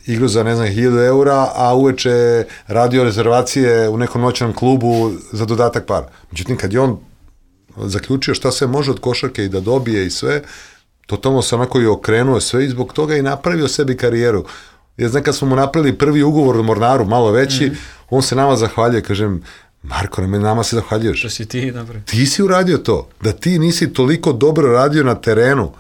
igru za, ne znam, hiljadu eura, a uveče radio rezervacije u nekom noćnom klubu za dodatak para. Međutim, kad je on zaključio šta se može od košarke i da dobije i sve, totalno se onako i okrenuo sve i zbog toga i napravio sebi karijeru. Ja znam, kad smo mu napravili prvi ugovor u Mornaru, malo veći, mm-hmm. on se nama zahvaljuje, kažem, Marko, nama se zahvaljuješ. Što si ti napravio? Ti si uradio to. Da ti nisi toliko dobro radio na terenu,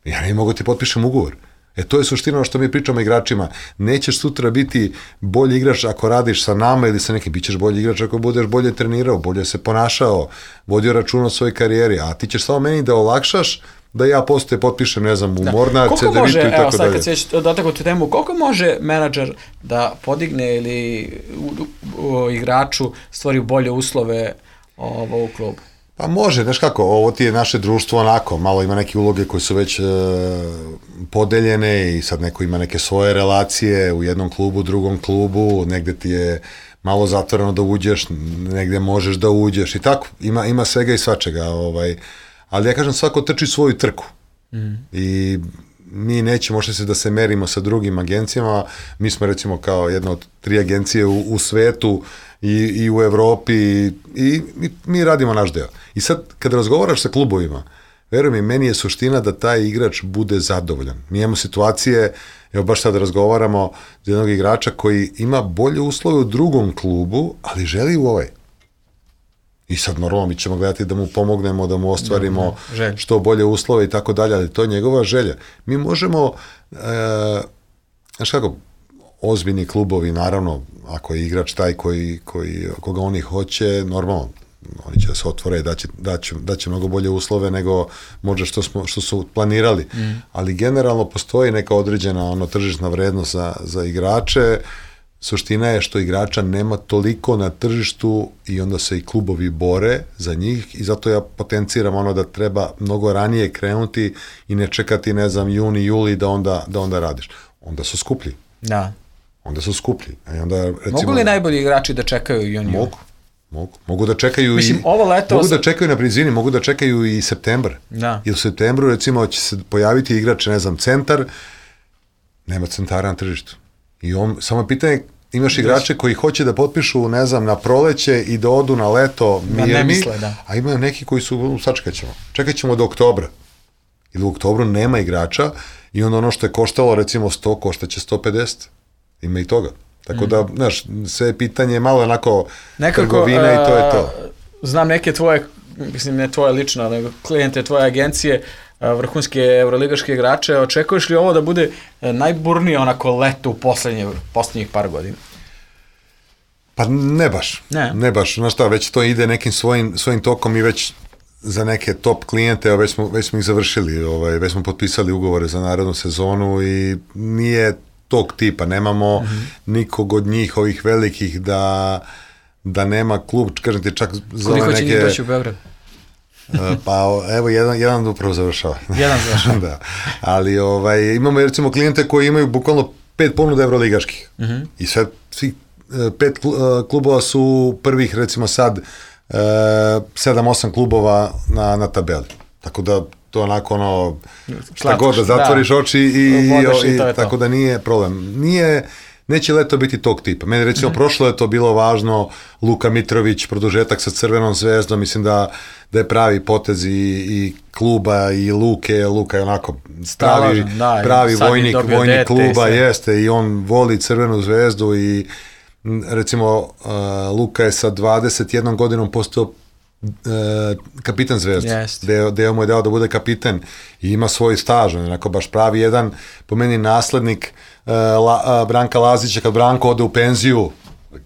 ja ne mogu ti potpišem ugovor. E, to je suština što mi pričamo igračima. Nećeš sutra biti bolji igrač ako radiš sa nama ili sa nekim. Bićeš bolji igrač ako budeš bolje trenirao, bolje se ponašao, vodio računa o svojoj karijeri, a ti ćeš samo meni da olakšaš da ja postoje potpišem, ne znam, u da. Mornar, Cedevitu i tako dalje. Evo sad kad se već dotakao tu temu, koliko može menadžer da podigne ili u, u, u igraču stvori bolje uslove ovo, u klubu? Pa može, znaš kako, ovo ti je naše društvo onako, malo ima neke uloge koje su već e, podeljene i sad neko ima neke svoje relacije u jednom klubu, drugom klubu, negde ti je malo zatvoreno da uđeš, negde možeš da uđeš i tako, ima, ima svega i svačega, ovaj, ali ja kažem, svako trči svoju trku mm. i mi nećemo možda se da se merimo sa drugim agencijama, mi smo recimo kao jedna od tri agencije u, u svetu i, i u Evropi i, i mi, mi radimo naš deo. I sad, kada razgovaraš sa klubovima, veruj mi, meni je suština da taj igrač bude zadovoljan. Mi imamo situacije, evo baš sad razgovaramo za jednog igrača koji ima bolje uslove u drugom klubu, ali želi u ovaj. I sad normalno mi ćemo gledati da mu pomognemo, da mu ostvarimo no, što bolje uslove i tako dalje, ali to je njegova želja. Mi možemo, e, znaš kako, ozbiljni klubovi, naravno, ako je igrač taj koji, koji, koga oni hoće, normalno, oni će da se otvore i daće, daće, daće mnogo bolje uslove nego možda što, smo, što su planirali. Mm. Ali generalno postoji neka određena ono, tržišna vrednost za, za igrače. Suština je što igrača nema toliko na tržištu i onda se i klubovi bore za njih i zato ja potenciram ono da treba mnogo ranije krenuti i ne čekati, ne znam, juni, juli da onda, da onda radiš. Onda su skuplji. Da. Onda su skuplji. I onda, recimo, mogu li najbolji igrači da čekaju juni? Mogu. Mogu. Mogu da čekaju Mislim, i ovo leto mogu sam... da čekaju na prizini, mogu da čekaju i septembar. Da. I u septembru recimo će se pojaviti igrač, ne znam, centar, nema centara na tržištu. I on, samo pitanje, imaš igrače koji hoće da potpišu, ne znam, na proleće i da odu na leto mirni, ne misle, da. A imaju neki koji su, sačekat ćemo. Čekat ćemo do oktobra. Ili u oktobru nema igrača i onda ono što je koštalo recimo sto, koštaće sto pedeset. Ima i toga. Tako da, znaš, sve pitanje je malo onako nekako, trgovina uh, i to je to. Znam neke tvoje, mislim ne tvoje lično, nego klijente tvoje agencije, vrhunske euroligaške igrače, očekuješ li ovo da bude najburnije onako leto u poslednje, poslednjih par godina? Pa ne baš. Ne, ne baš. Znaš šta, već to ide nekim svojim, svojim tokom i već za neke top klijente, već smo, već smo ih završili, ovaj, već smo potpisali ugovore za narednu sezonu i nije tog tipa, nemamo mm-hmm. nikog od njih, ovih velikih, da, da nema klub, kažem ti čak za neke... Koliko će njih doći u Beograd? Pa evo, jedan, jedan upravo završava. Jedan završava. Da. Ali ovaj, imamo recimo klijente koji imaju bukvalno pet ponuda evroligaških. Mm-hmm. I sve, svi pet klubova su prvih recimo sad sedam osam klubova na, na tabeli. Tako da to onako ono, šta god da zatvoriš da. oči i, i, i, i tako da nije problem. Nije, neće leto biti tog tipa. Meni recimo mm-hmm. prošlo je to bilo važno, Luka Mitrović, produžetak sa Crvenom zvezdom, mislim da, da je pravi potez i, i kluba i Luke, Luka je onako pravi, da, pravi vojnik, vojnik kluba, jeste, i on voli Crvenu zvezdu i recimo uh, Luka je sa dvadeset jednom godinom postao uh, kapitan Zvezde, yes. Deo, deo mu je dao da bude kapitan i ima svoj staž, onako baš pravi jedan, po meni naslednik uh, La, uh, Branka Lazića, kad Branko ode u penziju,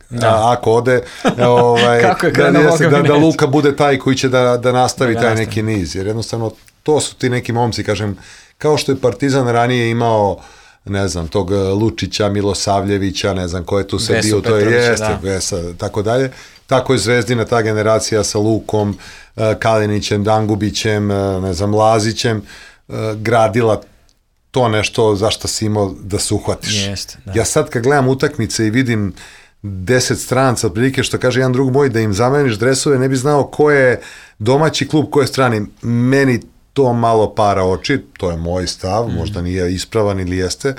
da. a, ako ode, ovaj, Kako je da, da, da, da Luka bude taj koji će da, da nastavi da taj nastavi. neki niz, jer jednostavno to su ti neki momci, kažem, kao što je Partizan ranije imao, ne znam, tog Lučića, Milosavljevića, ne znam ko je tu sve bio, to je jeste, Vesa, tako dalje. Tako je Zvezdina, ta generacija sa Lukom, Kalinićem, Dangubićem, ne znam, Lazićem, gradila to nešto zašto si imao da se uhvatiš. Jeste, da. Ja sad kad gledam utakmice i vidim deset stranca, otprilike što kaže jedan drug moj, da im zameniš dresove, ne bi znao ko je domaći klub, ko je strani. Meni to malo para oči, to je moj stav, mm. možda nije ispravan ili jeste,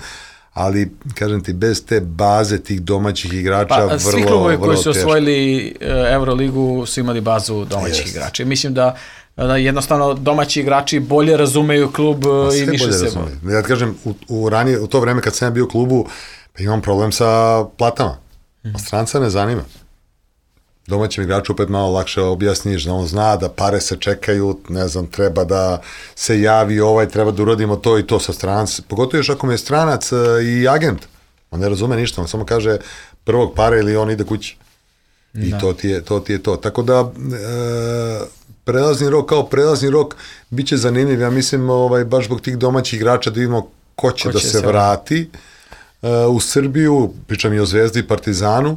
ali, kažem ti, bez te baze tih domaćih igrača pa, vrlo, vrlo teško. Svi klubovi koji su osvojili Euroligu su imali bazu domaćih yes. igrača. Mislim da, da jednostavno domaći igrači bolje razumeju klub pa, i više se boli. Ja kažem, u, u, ranije, u to vreme kad sam bio u klubu, pa imam problem sa platama. Mm. A stranca ne zanima. Domaćem igraču opet malo lakše objasniš, da on zna da pare se čekaju, ne znam, treba da se javi ovaj, treba da uradimo to i to sa stranac. Pogotovo još ako mi je stranac i agent. On ne razume ništa, on samo kaže prvog pare ili on ide kući. I da. to, ti je, to ti je to. Tako da, e, prelazni rok kao prelazni rok bit će zanimljiv. Ja mislim, ovaj, baš zbog tih domaćih igrača da vidimo ko će, ko će da se, se vrati e, u Srbiju, pričam i o Zvezdi i Partizanu,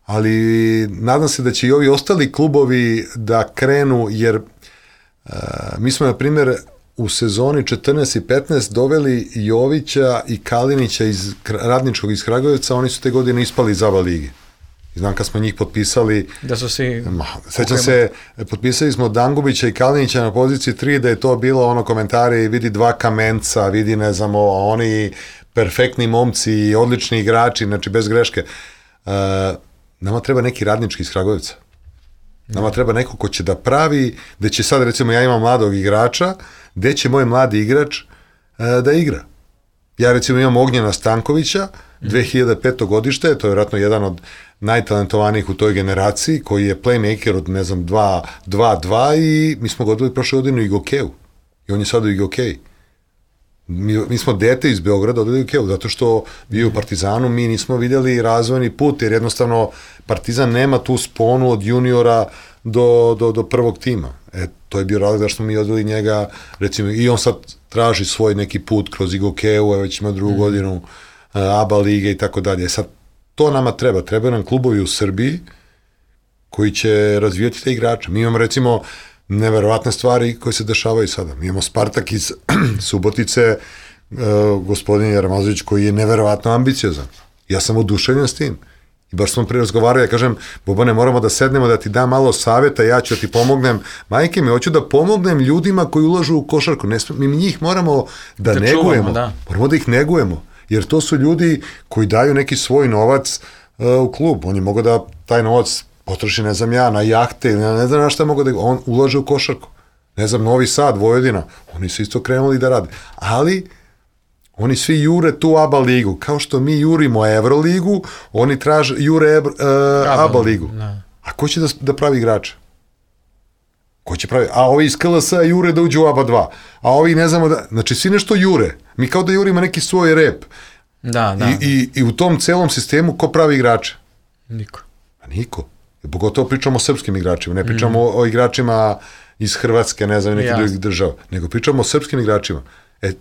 ali nadam se da će i ovi ostali klubovi da krenu, jer uh, mi smo, na primjer, u sezoni četrnaest i petnaest doveli Jovića i Kalinića iz Radničkog iz Kragujevca, oni su te godine ispali iz A B A lige. I znam kad smo njih potpisali, da su si... Ma, sećam se, potpisali smo Dangubića i Kalinića na poziciji tri, da je to bilo ono komentari, vidi dva kamenca, vidi ne znamo, oni perfektni momci, odlični igrači, znači bez greške. Uh, Nama treba neki Radnički iz Kragujevca. Nama treba neko ko će da pravi, da će sad, recimo, ja imam mladog igrača, gde će moj mladi igrač e, da igra. Ja, recimo, imam Ognjena Stankovića, dve hiljade pete godište, to je vjerojatno jedan od najtalentovanijih u toj generaciji, koji je playmaker od, ne znam, dva dva i mi smo ga odveli prošle godine u Igokeju. I on je sad u Igokeji. Mi, mi smo dete iz Beograda odveli u Ikeju, zato što bio u Partizanu, mi nismo vidjeli razvojni put, jer jednostavno Partizan nema tu sponu od juniora do, do, do prvog tima. E, to je bio razlog da smo mi odveli njega, recimo, i on sad traži svoj neki put kroz Igokeju, već ima drugu mm. godinu A B A lige i tako dalje. Sad, to nama treba. Treba nam klubovi u Srbiji koji će razvijati te igrače. Mi imamo, recimo, neverovatne stvari koje se dešavaju sada. Mi imamo Spartak iz Subotice, uh, gospodin Jarmazović, koji je neverovatno ambiciozan. Ja sam oduševljen s tim. I baš smo prije razgovarali, ja kažem, Bobane, moramo da sednemo, da ti dam malo savjeta, ja ću da ti pomognem. Majke mi, hoću da pomognem ljudima koji ulažu u košarku. Ne, mi njih moramo da, da negujemo. Čuvamo, da. Moramo da ih negujemo. Jer to su ljudi koji daju neki svoj novac uh, u klub. Oni mogu da taj novac potroši, ne znam ja, na jahte, ne znam na šta mogu da... On ulaže u košarku. Ne znam, Novi Sad, Vojvodina, oni su isto krenuli da rade. Ali, oni svi jure tu A B A ligu. Kao što mi jurimo Evroligu, oni traže, jure uh, A B A ligu. Ne. A ko će da, da pravi igrača? Ko će pravi? A ovi iz K L S-a jure da uđu u A B A dva. A ovi ne znamo da... Znači, svi nešto jure. Mi kao da jurimo neki svoj rep. Da, da. I, i, i u tom celom sistemu ko pravi igrača? Niko. A niko. Pogotovo pričamo o srpskim igračima, ne pričamo mm. o, o igračima iz Hrvatske, ne znam, nekih drugih država, nego pričamo o srpskim igračima. E,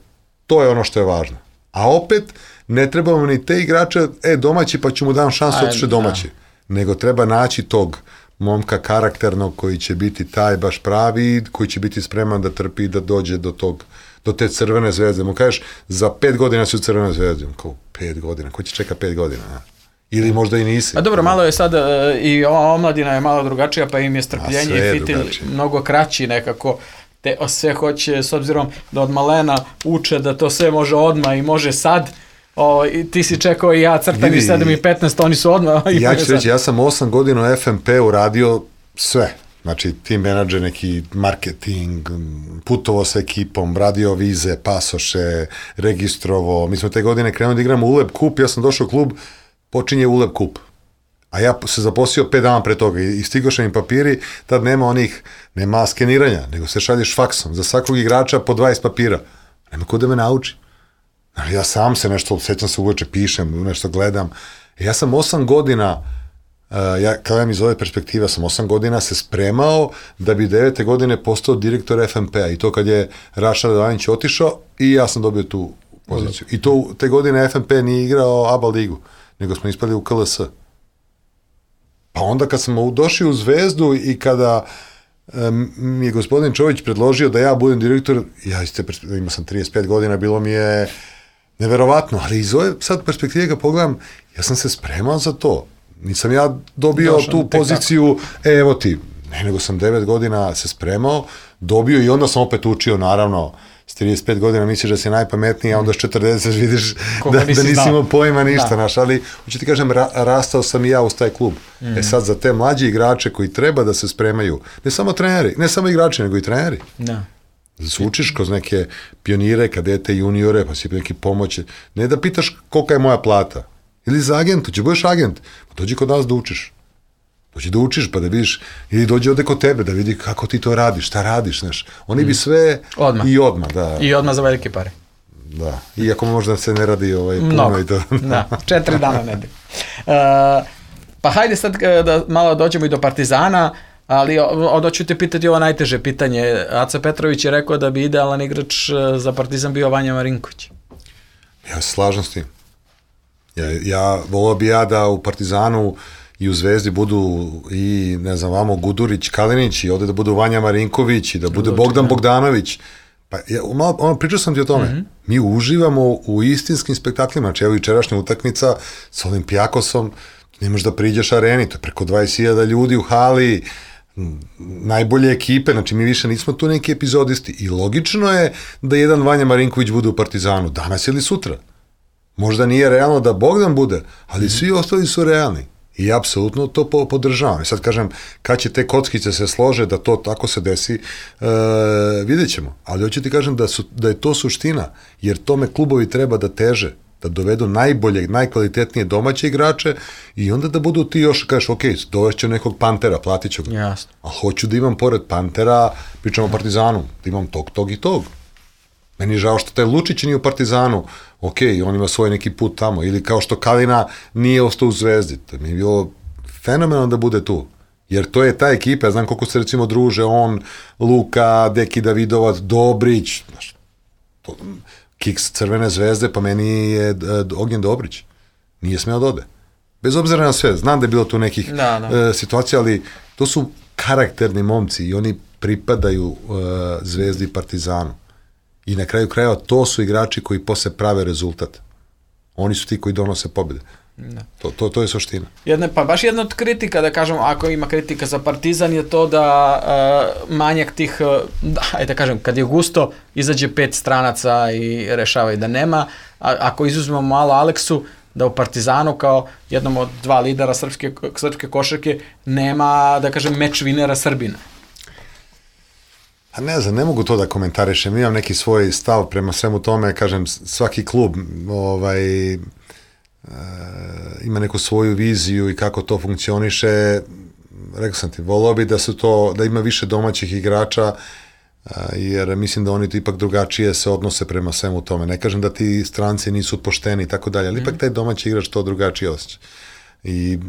to je ono što je važno. A opet, ne trebamo ni te igrače, e, domaći, pa ću mu dam šansu otiše domaći. Da. Nego treba naći tog momka karakternog koji će biti taj baš pravi, koji će biti spreman da trpi i da dođe do tog, do te Crvene zvezde. Mu kažeš, za pet godina su Crvene zvezde. Kao, pet godina, ko će čeka pet godina, a? Ili možda i nisi. A dobro, malo je sad uh, i ova omladina je malo drugačija, pa im je strpljenje i fitilj mnogo kraći nekako. Te sve hoće, s obzirom da od malena uče da to sve može odmah i može sad. O, i ti si čekao i ja crtani sedam i petnaest, oni su odmah. Ja ću reći, ja sam osam godina u F M P-u radio sve. Znači, team menadžer, neki marketing, putovo sa ekipom, radio vize, pasoše, registrovo. Mi smo te godine krenuli da igramo Uleb kup, ja sam došao u klub, počinje Uleb kup. A ja se zaposlio pet dana pre toga i stigoše mi papiri, tad nema onih, nema skeniranja, nego se šalješ faksom. Za svakog igrača po dvadeset papira. Nema ko da me nauči. Ja sam se nešto, sećam se uveče, pišem, nešto gledam. Ja sam osam godina Uh, ja, kada mi iz ove perspektive, sam osam godina se spremao da bi devete godine postao direktor F M P-a i to kad je Raša Radovanić otišao i ja sam dobio tu poziciju. I to te godine F M P nije igrao A B A ligu, nego smo ispali u K L S. Pa onda kad smo došli u Zvezdu i kada um, mi je gospodin Čović predložio da ja budem direktor, ja iz te perspektive, imao sam trideset pet godina, bilo mi je neverovatno, ali iz ove sad perspektive kad pogledam, ja sam se spremao za to. Nisam ja dobio Došao, tu poziciju, e, evo ti, ne, nego sam devet godina se spremao, dobio i onda sam opet učio, naravno, s trideset pet godina misliš da si najpametniji, a onda s četrdeset vidiš da, da nisi imao pojma ništa, naš, ali hoću ti kažem, ra, rastao sam i ja uz taj klub. Mm. E sad, za te mlađi igrače koji treba da se spremaju, ne samo treneri, ne samo igrači, nego i treneri. Da. Da se učiš kroz neke pionire, kadete, juniore, pa si neki pomoći. Ne da pitaš kolika je moja plata. Ili za agentu, će budeš agent, pa dođi kod nas da učiš. Dođi da učiš, pa da vidiš, ili dođi ovde kod tebe, da vidi kako ti to radiš, šta radiš, znaš. Oni bi sve odmah. I odmah, da. I odmah za velike pare. Da, iako možda se ne radi ovaj, puno Mnogo. I to. Da, četiri dana nedelje. Uh, pa hajde sad da malo dođemo i do Partizana, ali onda ću te pitati ovo najteže pitanje. Aca Petrović je rekao da bi idealan igrač za Partizan bio Vanja Marinković. Ja se slažem s tim. Ja, ja volao bi ja da u Partizanu i u Zvezdi budu i, ne znam, vamo Gudurić, Kalinić i ovde da budu Vanja Marinković i da bude Bogdan Bogdanović. Pa ja, malo, ono, pričao sam ti o tome. Mm-hmm. Mi uživamo u istinskim spektaklima. Znači, evo jučerašnja utakmica sa Olimpijakosom, ne možeš da priđeš areni, to je preko dvadeset hiljada ljudi u hali, najbolje ekipe, znači mi više nismo tu neki epizodisti i logično je da jedan Vanja Marinković bude u Partizanu, danas ili sutra. Možda nije realno da Bogdan bude, ali mm. svi ostali su realni i apsolutno to podržavam. I sad kažem, kad će te kockice se slože da to tako se desi, e, vidjet ćemo. Ali hoću ti kažem da, su, da je to suština, jer tome klubovi treba da teže, da dovedu najbolje, najkvalitetnije domaće igrače i onda da budu ti još, kažeš, ok, dovešću nekog Pantera, platit ću ga. Jasno. Ali hoću da imam pored Pantera, pričamo o Partizanu, da imam tog, tog i tog. Meni je žao što taj Lučić nije u Partizanu, ok, on ima svoj neki put tamo, ili kao što Kalina nije ostao u Zvezdi, to mi je bilo fenomenalno da bude tu, jer to je ta ekipa, ja znam koliko se recimo druže, on, Luka, Deki Davidovac, Dobrić, znaš, to, kiks Crvene zvezde, pa meni je Ognjen Dobrić, nije smeo da ode. Bez obzira na sve, znam da je bilo tu nekih da, da. Uh, situacija, ali to su karakterni momci i oni pripadaju uh, Zvezdi i Partizanu. I na kraju krajeva to su igrači koji posle prave rezultat. Oni su ti koji donose pobjede. Da. To, to, to je suština. Jedne, pa baš jedna od kritika, da kažem, ako ima kritika za Partizan, je to da uh, manjak tih, uh, da, ajde da kažem, kad je gusto, izađe pet stranaca i rešava i da nema. A, ako izuzmemo malo Aleksu, da u Partizanu kao jednom od dva lidera srpske, srpske košarke nema, da kažem, meč vinera Srbina. A ne znam, ne mogu to da komentarišem, imam neki svoj stav prema svemu tome, kažem, svaki klub ovaj, e, ima neku svoju viziju i kako to funkcioniše, rekao sam ti, volao bi da su to, da ima više domaćih igrača, a, jer mislim da oni ipak drugačije se odnose prema svemu tome, ne kažem da ti stranci nisu pošteni i tako dalje, ali mm. ipak taj domaći igrač to drugačije osjeća. I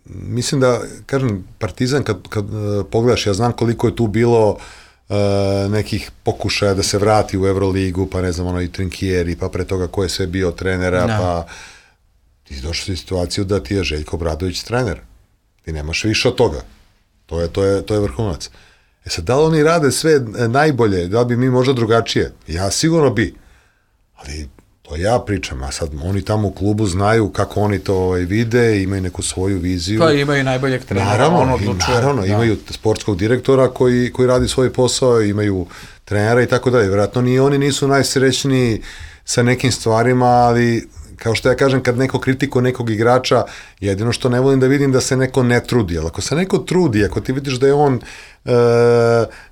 mislim da, kažem, Partizan kad, kad uh, pogledaš, ja znam koliko je tu bilo Uh, nekih pokušaja da se vrati u Euroligu, pa ne znam, ono i Trinkieri, pa pre toga ko je sve bio trenera, no. Pa ti došli u situaciju da ti je Željko Obradović trener. Ti nemaš više od toga. To je, to je, to je vrhunac. E sad, da li oni rade sve najbolje, da li bi mi možda drugačije? Ja sigurno bi, ali to ja pričam, a sad oni tamo u klubu znaju kako oni to ovaj, vide, imaju neku svoju viziju. Pa imaju najboljeg trenera. Naravno, on odlučuje, naravno da. Imaju sportskog direktora koji, koji radi svoj posao, imaju trenera i tako dalje. Vjerojatno ni oni nisu najsrećniji sa nekim stvarima, ali kao što ja kažem, kad neko kritikuje nekog igrača, jedino što ne volim da vidim da se neko ne trudi, ali ako se neko trudi, ako ti vidiš da je on e,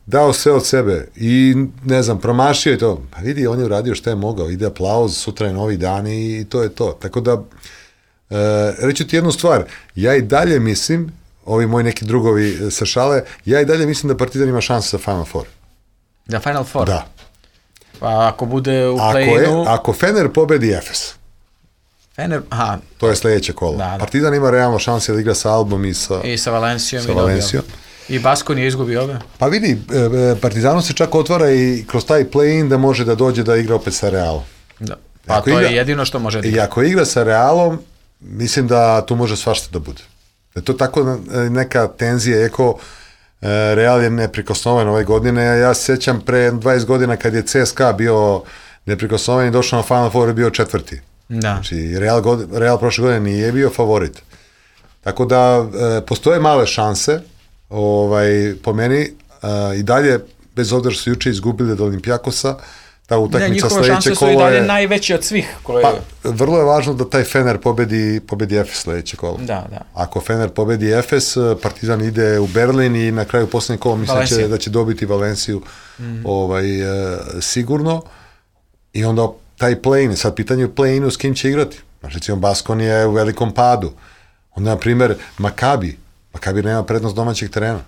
dao sve od sebe i, ne znam, promašio je to, pa vidi, on je uradio što je mogao, ide aplauz, sutra je novi dan i to je to. Tako da, e, reću ti jednu stvar, ja i dalje mislim, ovi moji neki drugovi sa šale, ja i dalje mislim da Partizan ima šanse za Final Four. Da, Final Four? Da. Pa ako bude u play-inu... Ako, ako Fener pobedi Efes, Fener, aha. To je sledeće kolo. Da, da. Partizan ima realno šanse da igra sa Albom i sa, I sa Valencijom. Sa Valencijom. I Baskon je izgubio ove. Pa vidi, Partizanu se čak otvara i kroz taj play-in da može da dođe da igra opet sa Realom. Da. Pa ako to igra, je jedino što može da igra. I ako igra sa Realom, mislim da tu može svašta da bude. Da je to tako neka tenzija, eko Real je neprikosnoven ove godine, ja se sjećam pre dvadeset godina kad je C S K A bio neprikosnoven i došao na Final Four je bio četvrti. Da. Znači Real, god, Real prošle godine nije bio favorit. Tako da e, postoje male šanse, ovaj, po meni e, i dalje, bez obzira što su juče izgubili od Olimpijakosa, ta utakmica sledeće kolo je... Njihove šanse su i dalje najveće od svih. Koje... Pa, vrlo je važno da taj Fener pobedi, pobedi Efes sledeće kolo. Da, da. Ako Fener pobedi Efes, Partizan ide u Berlin i na kraju poslednje kolo mislim da će, da će dobiti Valenciju mm. ovaj, e, sigurno. I onda taj play-in, sad pitanje u play-inu s kim će igrati. Znači, recimo, Baskon je u velikom padu. Onda, na primjer, Makabi. Makabi nema prednost domaćeg terena.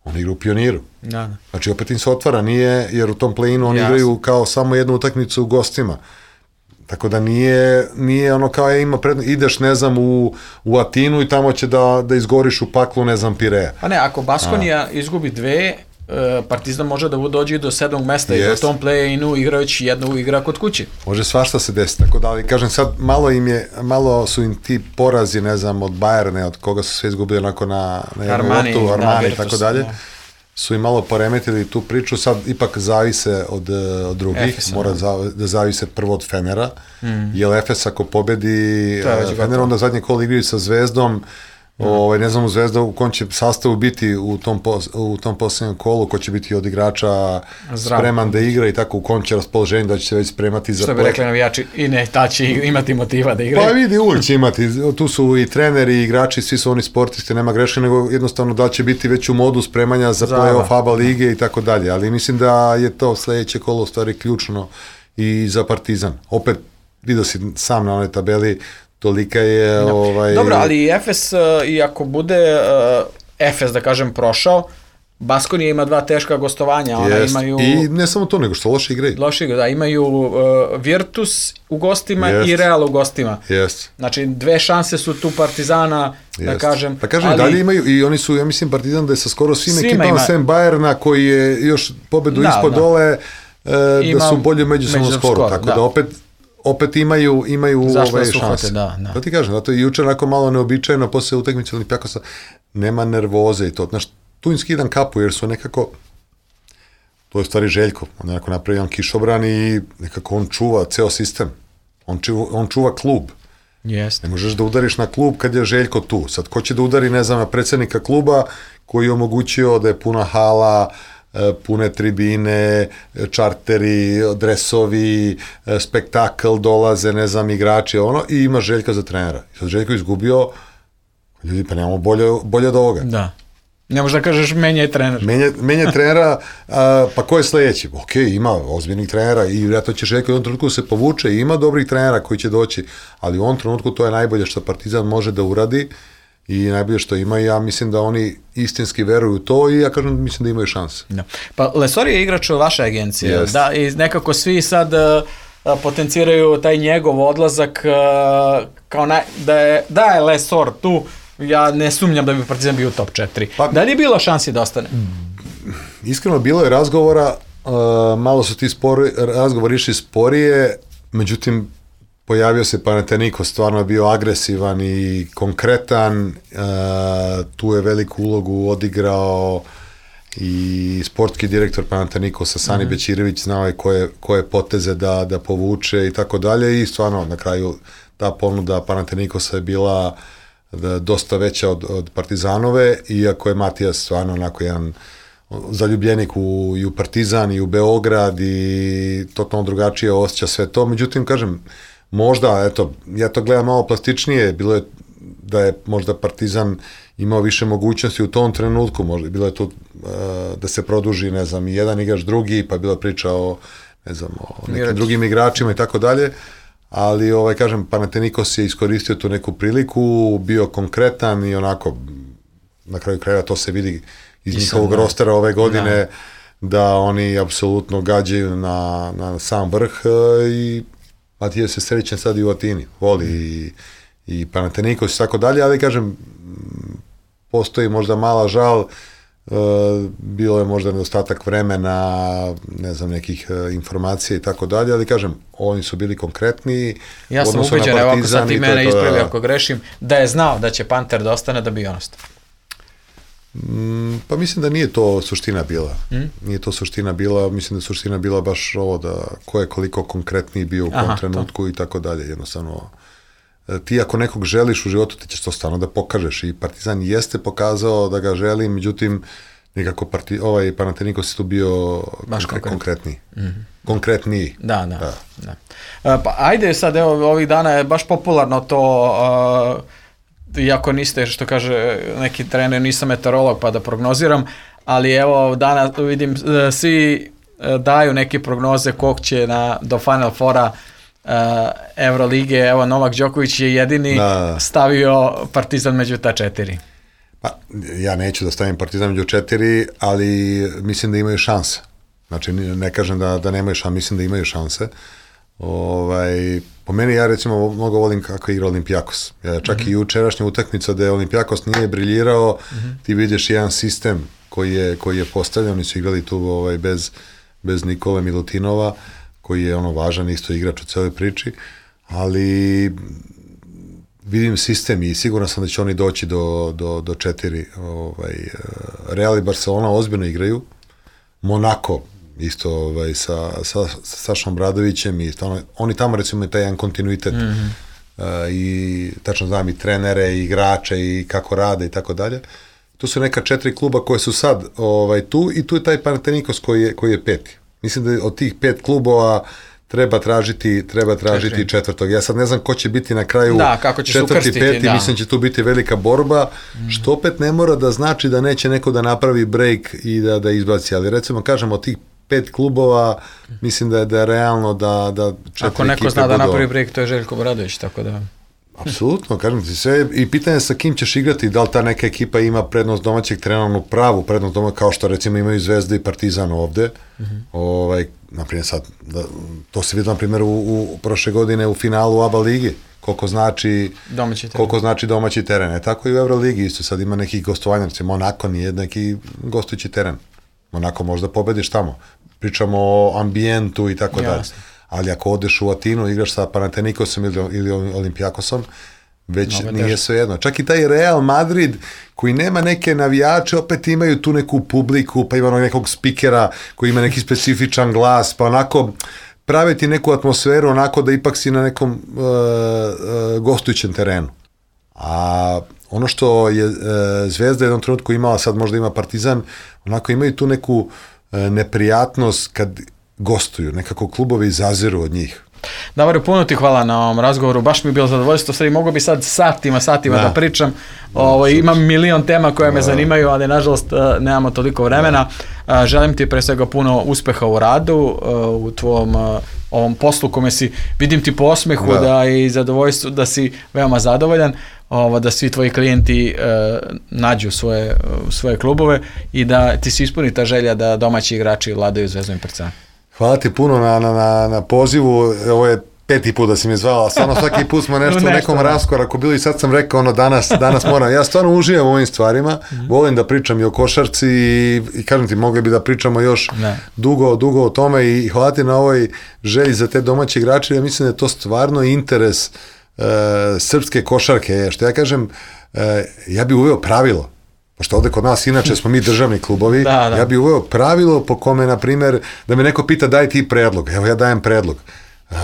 On igra u Pioniru. Da, da. Znači, opet im se otvara, nije, jer u tom play-inu oni Jasne. igraju kao samo jednu utakmicu u gostima. Tako da nije, nije ono kao je ima prednost, ideš, ne znam, u, u Atinu i tamo će da, da izgoriš u paklu, ne znam, Pireja. Pa ne, ako Baskonija izgubi dve, Partizan može da dođe do sedmog mesta yes. i u tom play-inu igrajući jednu igra kod kuće. Može svašta se desiti, tako da, ali kažem sad, malo im je, malo su im ti porazi, ne znam, od Bayerne, od koga su sve izgubili onako na, na jednu loptu, Armani i tako dalje, da. Su im malo poremetili tu priču, sad ipak zavise od, od drugih, Efesa, mora za, da zavise prvo od Fenera, mm. jer Efes ako pobedi Fener, onda zadnje kolo igraju sa Zvezdom. Ovaj, ne znam u Zvezda u kom će sastavu biti u tom, pos, u tom posljednjem kolu, ko će biti od igrača Zdravo. Spreman da igra i tako u kom će raspoloženje da će se već spremati za play. Što bi rekli navijači, i ne, ta će imati motiva da igra. Pa vidi, uvijek će imati, tu su i treneri i igrači, svi su oni sportisti, nema greške, nego jednostavno da će biti već u modu spremanja za play-off A B A lige i tako dalje, ali mislim da je to sledeće kolo u stvari ključno i za Partizan. Opet, vidio si sam na onoj tabeli, tolika je... No. Ovaj... Dobro, ali Efes, uh, i ako bude uh, Efes, da kažem, prošao, Baskonija ima dva teška gostovanja. Ona Jest. imaju... I ne samo to, nego što loše igraju. Loše igraju, da. Imaju uh, Virtus u gostima Jest. i Real u gostima. Jest. Znači, dve šanse su tu Partizana, Jest. da kažem. Pa kažem, ali... dalje imaju, i oni su, ja mislim, Partizan da je sa skoro svim ekipama, ima... sem Bayerna, koji je još pobedu da, ispod da. dole, uh, Imam... da su bolje međusobno skoru. Skoro, tako da, da opet... opet imaju, imaju ove šanse. Da, da. To ti kažem, zato je jučer onako malo neobičajno, posle utakmice Olimpijakosa nema nervoze i to. Znaš, tu im skidam kapu, jer su nekako, to je stvari Željko, on je nekako napravio jedan kišobran i nekako on čuva ceo sistem. On čuva, on čuva klub. Yes. Ne možeš da udariš na klub kad je Željko tu. Sad, ko će da udari, ne znam, na predsjednika kluba koji je omogućio da je puna hala, pune tribine, čarteri, dresovi, spektakl, dolaze, ne znam, igrači, ono, i ima Željka za trenera. I sad Željko izgubio, ljudi, pa nemamo bolje, bolje od ovoga. Da. Ne možeš da kažeš menja je trener. Menja, menja trenera, a, pa ko je sledeći? Ok, ima ozbiljnih trenera i vjerojatno će Željko u jednom trenutku se povuče i ima dobrih trenera koji će doći, ali u ovom trenutku to je najbolje što Partizan može da uradi i najbolje što ima, ja mislim da oni istinski veruju u to i ja kažem, mislim da imaju šanse. Da. Pa Lesor je igrač vaše agencije, yes. da, i nekako svi sad uh, potenciraju taj njegov odlazak uh, kao na, da, je, da je Lesor tu, ja ne sumnjam da bi Partizan bio u top četiri. Pa, da li je bilo šansi da ostane? Iskreno, bilo je razgovora, uh, malo su ti spori, razgovori išli sporije, međutim, pojavio se Panathinaikos, stvarno je bio agresivan i konkretan, uh, tu je veliku ulogu odigrao i sportski direktor Panathinaikosa, Sani mm-hmm. Bećirević, znao je koje, koje poteze da, da povuče i tako dalje i stvarno na kraju ta ponuda Panathinaikosa je bila da, dosta veća od, od Partizanove, iako je Matijas stvarno onako jedan zaljubljenik u, i u Partizan i u Beograd i totalno drugačije osjeća sve to, međutim, kažem, možda, eto, ja to gledam malo plastičnije, bilo je da je možda Partizan imao više mogućnosti u tom trenutku, možda bilo je tu uh, da se produži, ne znam, jedan igrač drugi, pa bila priča o, ne znam, o nekim Igrač. drugim igračima i tako dalje, ali, ovaj, kažem, Panathinaikos je iskoristio tu neku priliku, bio konkretan i onako, na kraju kraja to se vidi iz I njihovog sam, rostera ove godine, da, da oni apsolutno gađaju na, na sam vrh uh, i Matija se srećen sad i u Atini, voli i, i Panathinaikos i tako dalje, ali kažem, postoji možda mala žal, uh, bilo je možda nedostatak vremena, ne znam, nekih uh, informacija i tako dalje, ali kažem, oni su bili konkretni. Ja sam ubeđen, evo ako sad ti mene ispravi ako grešim, da je znao da će Panter da ostane, da bi on ostao. Mm, pa mislim da nije to suština bila. Mm? Nije to suština bila, mislim da je suština bila baš ovo da ko je koliko konkretniji bio u kom trenutku to. I tako dalje. Jednostavno, ti ako nekog želiš u životu, ti ćeš to stvarno da pokažeš i Partizan jeste pokazao da ga želi, međutim, nekako parti, ovaj Panathinaikos je tu bio konkre, konkretniji. Mm-hmm. Konkretniji. Da, da. da. da. Uh, pa ajde sad, evo, ovih dana je baš popularno to... Uh, iako niste, što kaže neki trener, nisam meteorolog pa da prognoziram, ali evo danas vidim svi daju neke prognoze kog će na, do Final Fora uh, Evrolige, evo Novak Đoković je jedini da. stavio Partizan među ta četiri. Pa, ja neću da stavim Partizan među četiri, ali mislim da imaju šanse. Znači, ne kažem da, da nemaju šanse, mislim da imaju šanse. Ovaj, po meni ja recimo mnogo volim kako igra Olimpijakos. Ja, čak mm-hmm. i jučerašnja utakmica da je Olimpijakos nije briljirao, mm-hmm. ti vidiš jedan sistem koji je, koji je postavljen, oni su igrali tu ovaj, bez, bez Nikole Milutinova, koji je ono važan isto igrač u celoj priči, ali vidim sistem i siguran sam da će oni doći do, do, do četiri. Ovaj, Real i Barcelona ozbiljno igraju, Monako isto ovaj, sa, sa, sa Sašom Bradovićem i stvarno, oni tamo recimo imaju taj jedan kontinuitet mm-hmm. uh, i tačno znam i trenere i igrače i kako rade i tako dalje. Tu su neka četiri kluba koje su sad ovaj, tu i tu je taj Panathinaikos koji je, koji je peti. Mislim da od tih pet klubova treba tražiti, treba tražiti Četiri. četvrtog. Ja sad ne znam ko će biti na kraju da, kako će četvrti, peti, da. Mislim će tu biti velika borba, mm. što opet ne mora da znači da neće neko da napravi break i da, da izbaci, ali recimo kažemo od tih pet klubova, mislim da je, da je realno da, da četiri ako neko zna da napravi break, to je Željko Obradović, tako da... Apsolutno, kažem ti sve, i pitanje sa kim ćeš igrati, da li ta neka ekipa ima prednost domaćeg trenera, pravu prednost domaćeg, kao što recimo imaju Zvezda i Partizan ovde, mm-hmm. ovaj, naprimjer sad, da, to se vidi na primjer u, u prošle godine u finalu A B A ligi, koliko znači domaći teren, koliko znači domaći teren, e tako i u Euroligi isto, sad ima nekih gostovanja, recimo Monako nije neki gostujući teren, Monako možda pobediš tamo, pričamo o ambijentu i tako dalje. Ali ako odeš u Atinu, igraš sa Panathinaikosom ili, ili Olimpijakosom, već no, nije sve jedno. Čak i taj Real Madrid, koji nema neke navijače, opet imaju tu neku publiku, pa ima nekog spikera koji ima neki specifičan glas, pa onako prave ti neku atmosferu, onako da ipak si na nekom uh, uh, gostujućem terenu. A ono što je uh, Zvezda jednom trenutku imala, sad možda ima Partizan, onako imaju tu neku uh, neprijatnost kad gostuju, nekako klubovi zaziru od njih. Davor, puno ti hvala na ovom razgovoru, baš mi je bilo zadovoljstvo, sad mogu bi sad satima, satima da, da pričam, da, Ovo, imam milion tema koje me zanimaju, ali nažalost nemamo toliko vremena. Da. Želim ti pre svega puno uspeha u radu, u tvom ovom poslu kome si, vidim ti po osmehu da, da i zadovoljstvu da si veoma zadovoljan, ovo, da svi tvoji klijenti uh, nađu svoje, uh, svoje klubove i da ti se ispuni ta želja da domaći igrači vladaju Zvezdom i Partizanom. Hvala ti puno na, na, na, na pozivu, ovo je peti put da si me zvala, stvarno svaki put smo nešto, nešto u nekom raskoraku bili i sad sam rekao ono danas, danas moram, ja stvarno uživam u ovim stvarima, mm-hmm. volim da pričam i o košarci i, i kažem ti, mogli bi da pričamo još ne. dugo, dugo o tome i, i hvala ti na ovoj želji za te domaće igrače, ja mislim da je to stvarno interes uh, srpske košarke, što ja kažem, uh, ja bih uveo pravilo, pošto ovde kod nas inače smo mi državni klubovi, da, da. ja bih uveo pravilo po kome, na primjer, da me neko pita daj ti predlog, evo ja dajem predlog. Uh,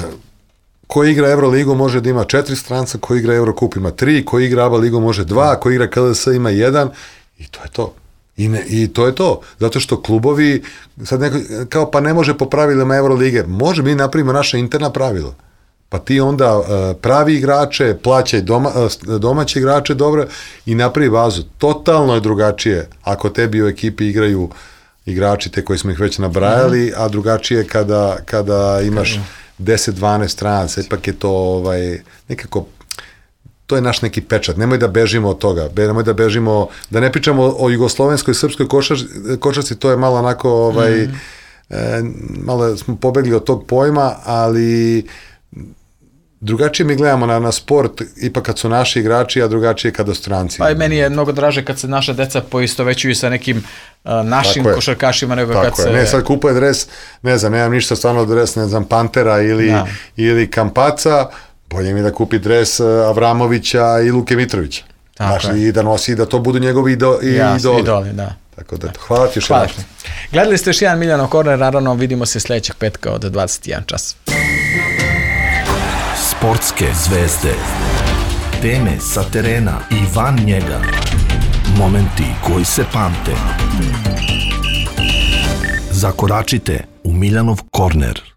ko igra Euroligu može da ima četiri stranca, ko igra Eurocup ima tri, ko igra A B A ligu može dva, ko igra K L S ima jedan i to je to. I, ne, I to je to. Zato što klubovi, sad neko, kao pa ne može po pravilima Eurolige, može mi napravimo naše interna pravila. Pa ti onda uh, pravi igrače, plaćaj doma, uh, domaće igrače dobro i napravi bazu. Totalno je drugačije ako tebi u ekipi igraju igrači te koji smo ih već nabrajali, mm-hmm. a drugačije kada, kada imaš deset dvanaest stranaca, ipak je to ovaj, nekako, to je naš neki pečat, nemoj da bežimo od toga, nemoj da bežimo, da ne pričamo o jugoslovenskoj, srpskoj košarci, košarci to je malo onako, ovaj, mm. e, malo smo pobegli od tog pojma, ali drugačije mi gledamo na, na sport, ipak kad su naši igrači, a drugačije kada stranci. Pa i meni je mnogo draže kad se naša deca poistovećuju sa nekim uh, našim Tako košarkašima nego Tako kad je. se... Ne, sad kupuje dres, ne znam, nemam ništa stvarno dres, ne znam, Pantera ili, Da. ili Kampaca, bolje mi da kupi dres Avramovića i Luke Mitrovića. Tako Znaš, je. i da nosi i da to budu njegovi ido, i Ja, idoli. idoli, da. Tako da, hvala ti još Hvala. jedan. Gledali ste još jedan Miljanov korner, naravno vidimo se sljedećeg petka od dvadeset jedan čas. Sportske zvezde. Teme sa terena i van njega. Momenti koji se pamte. Zakoračite u Miljanov korner.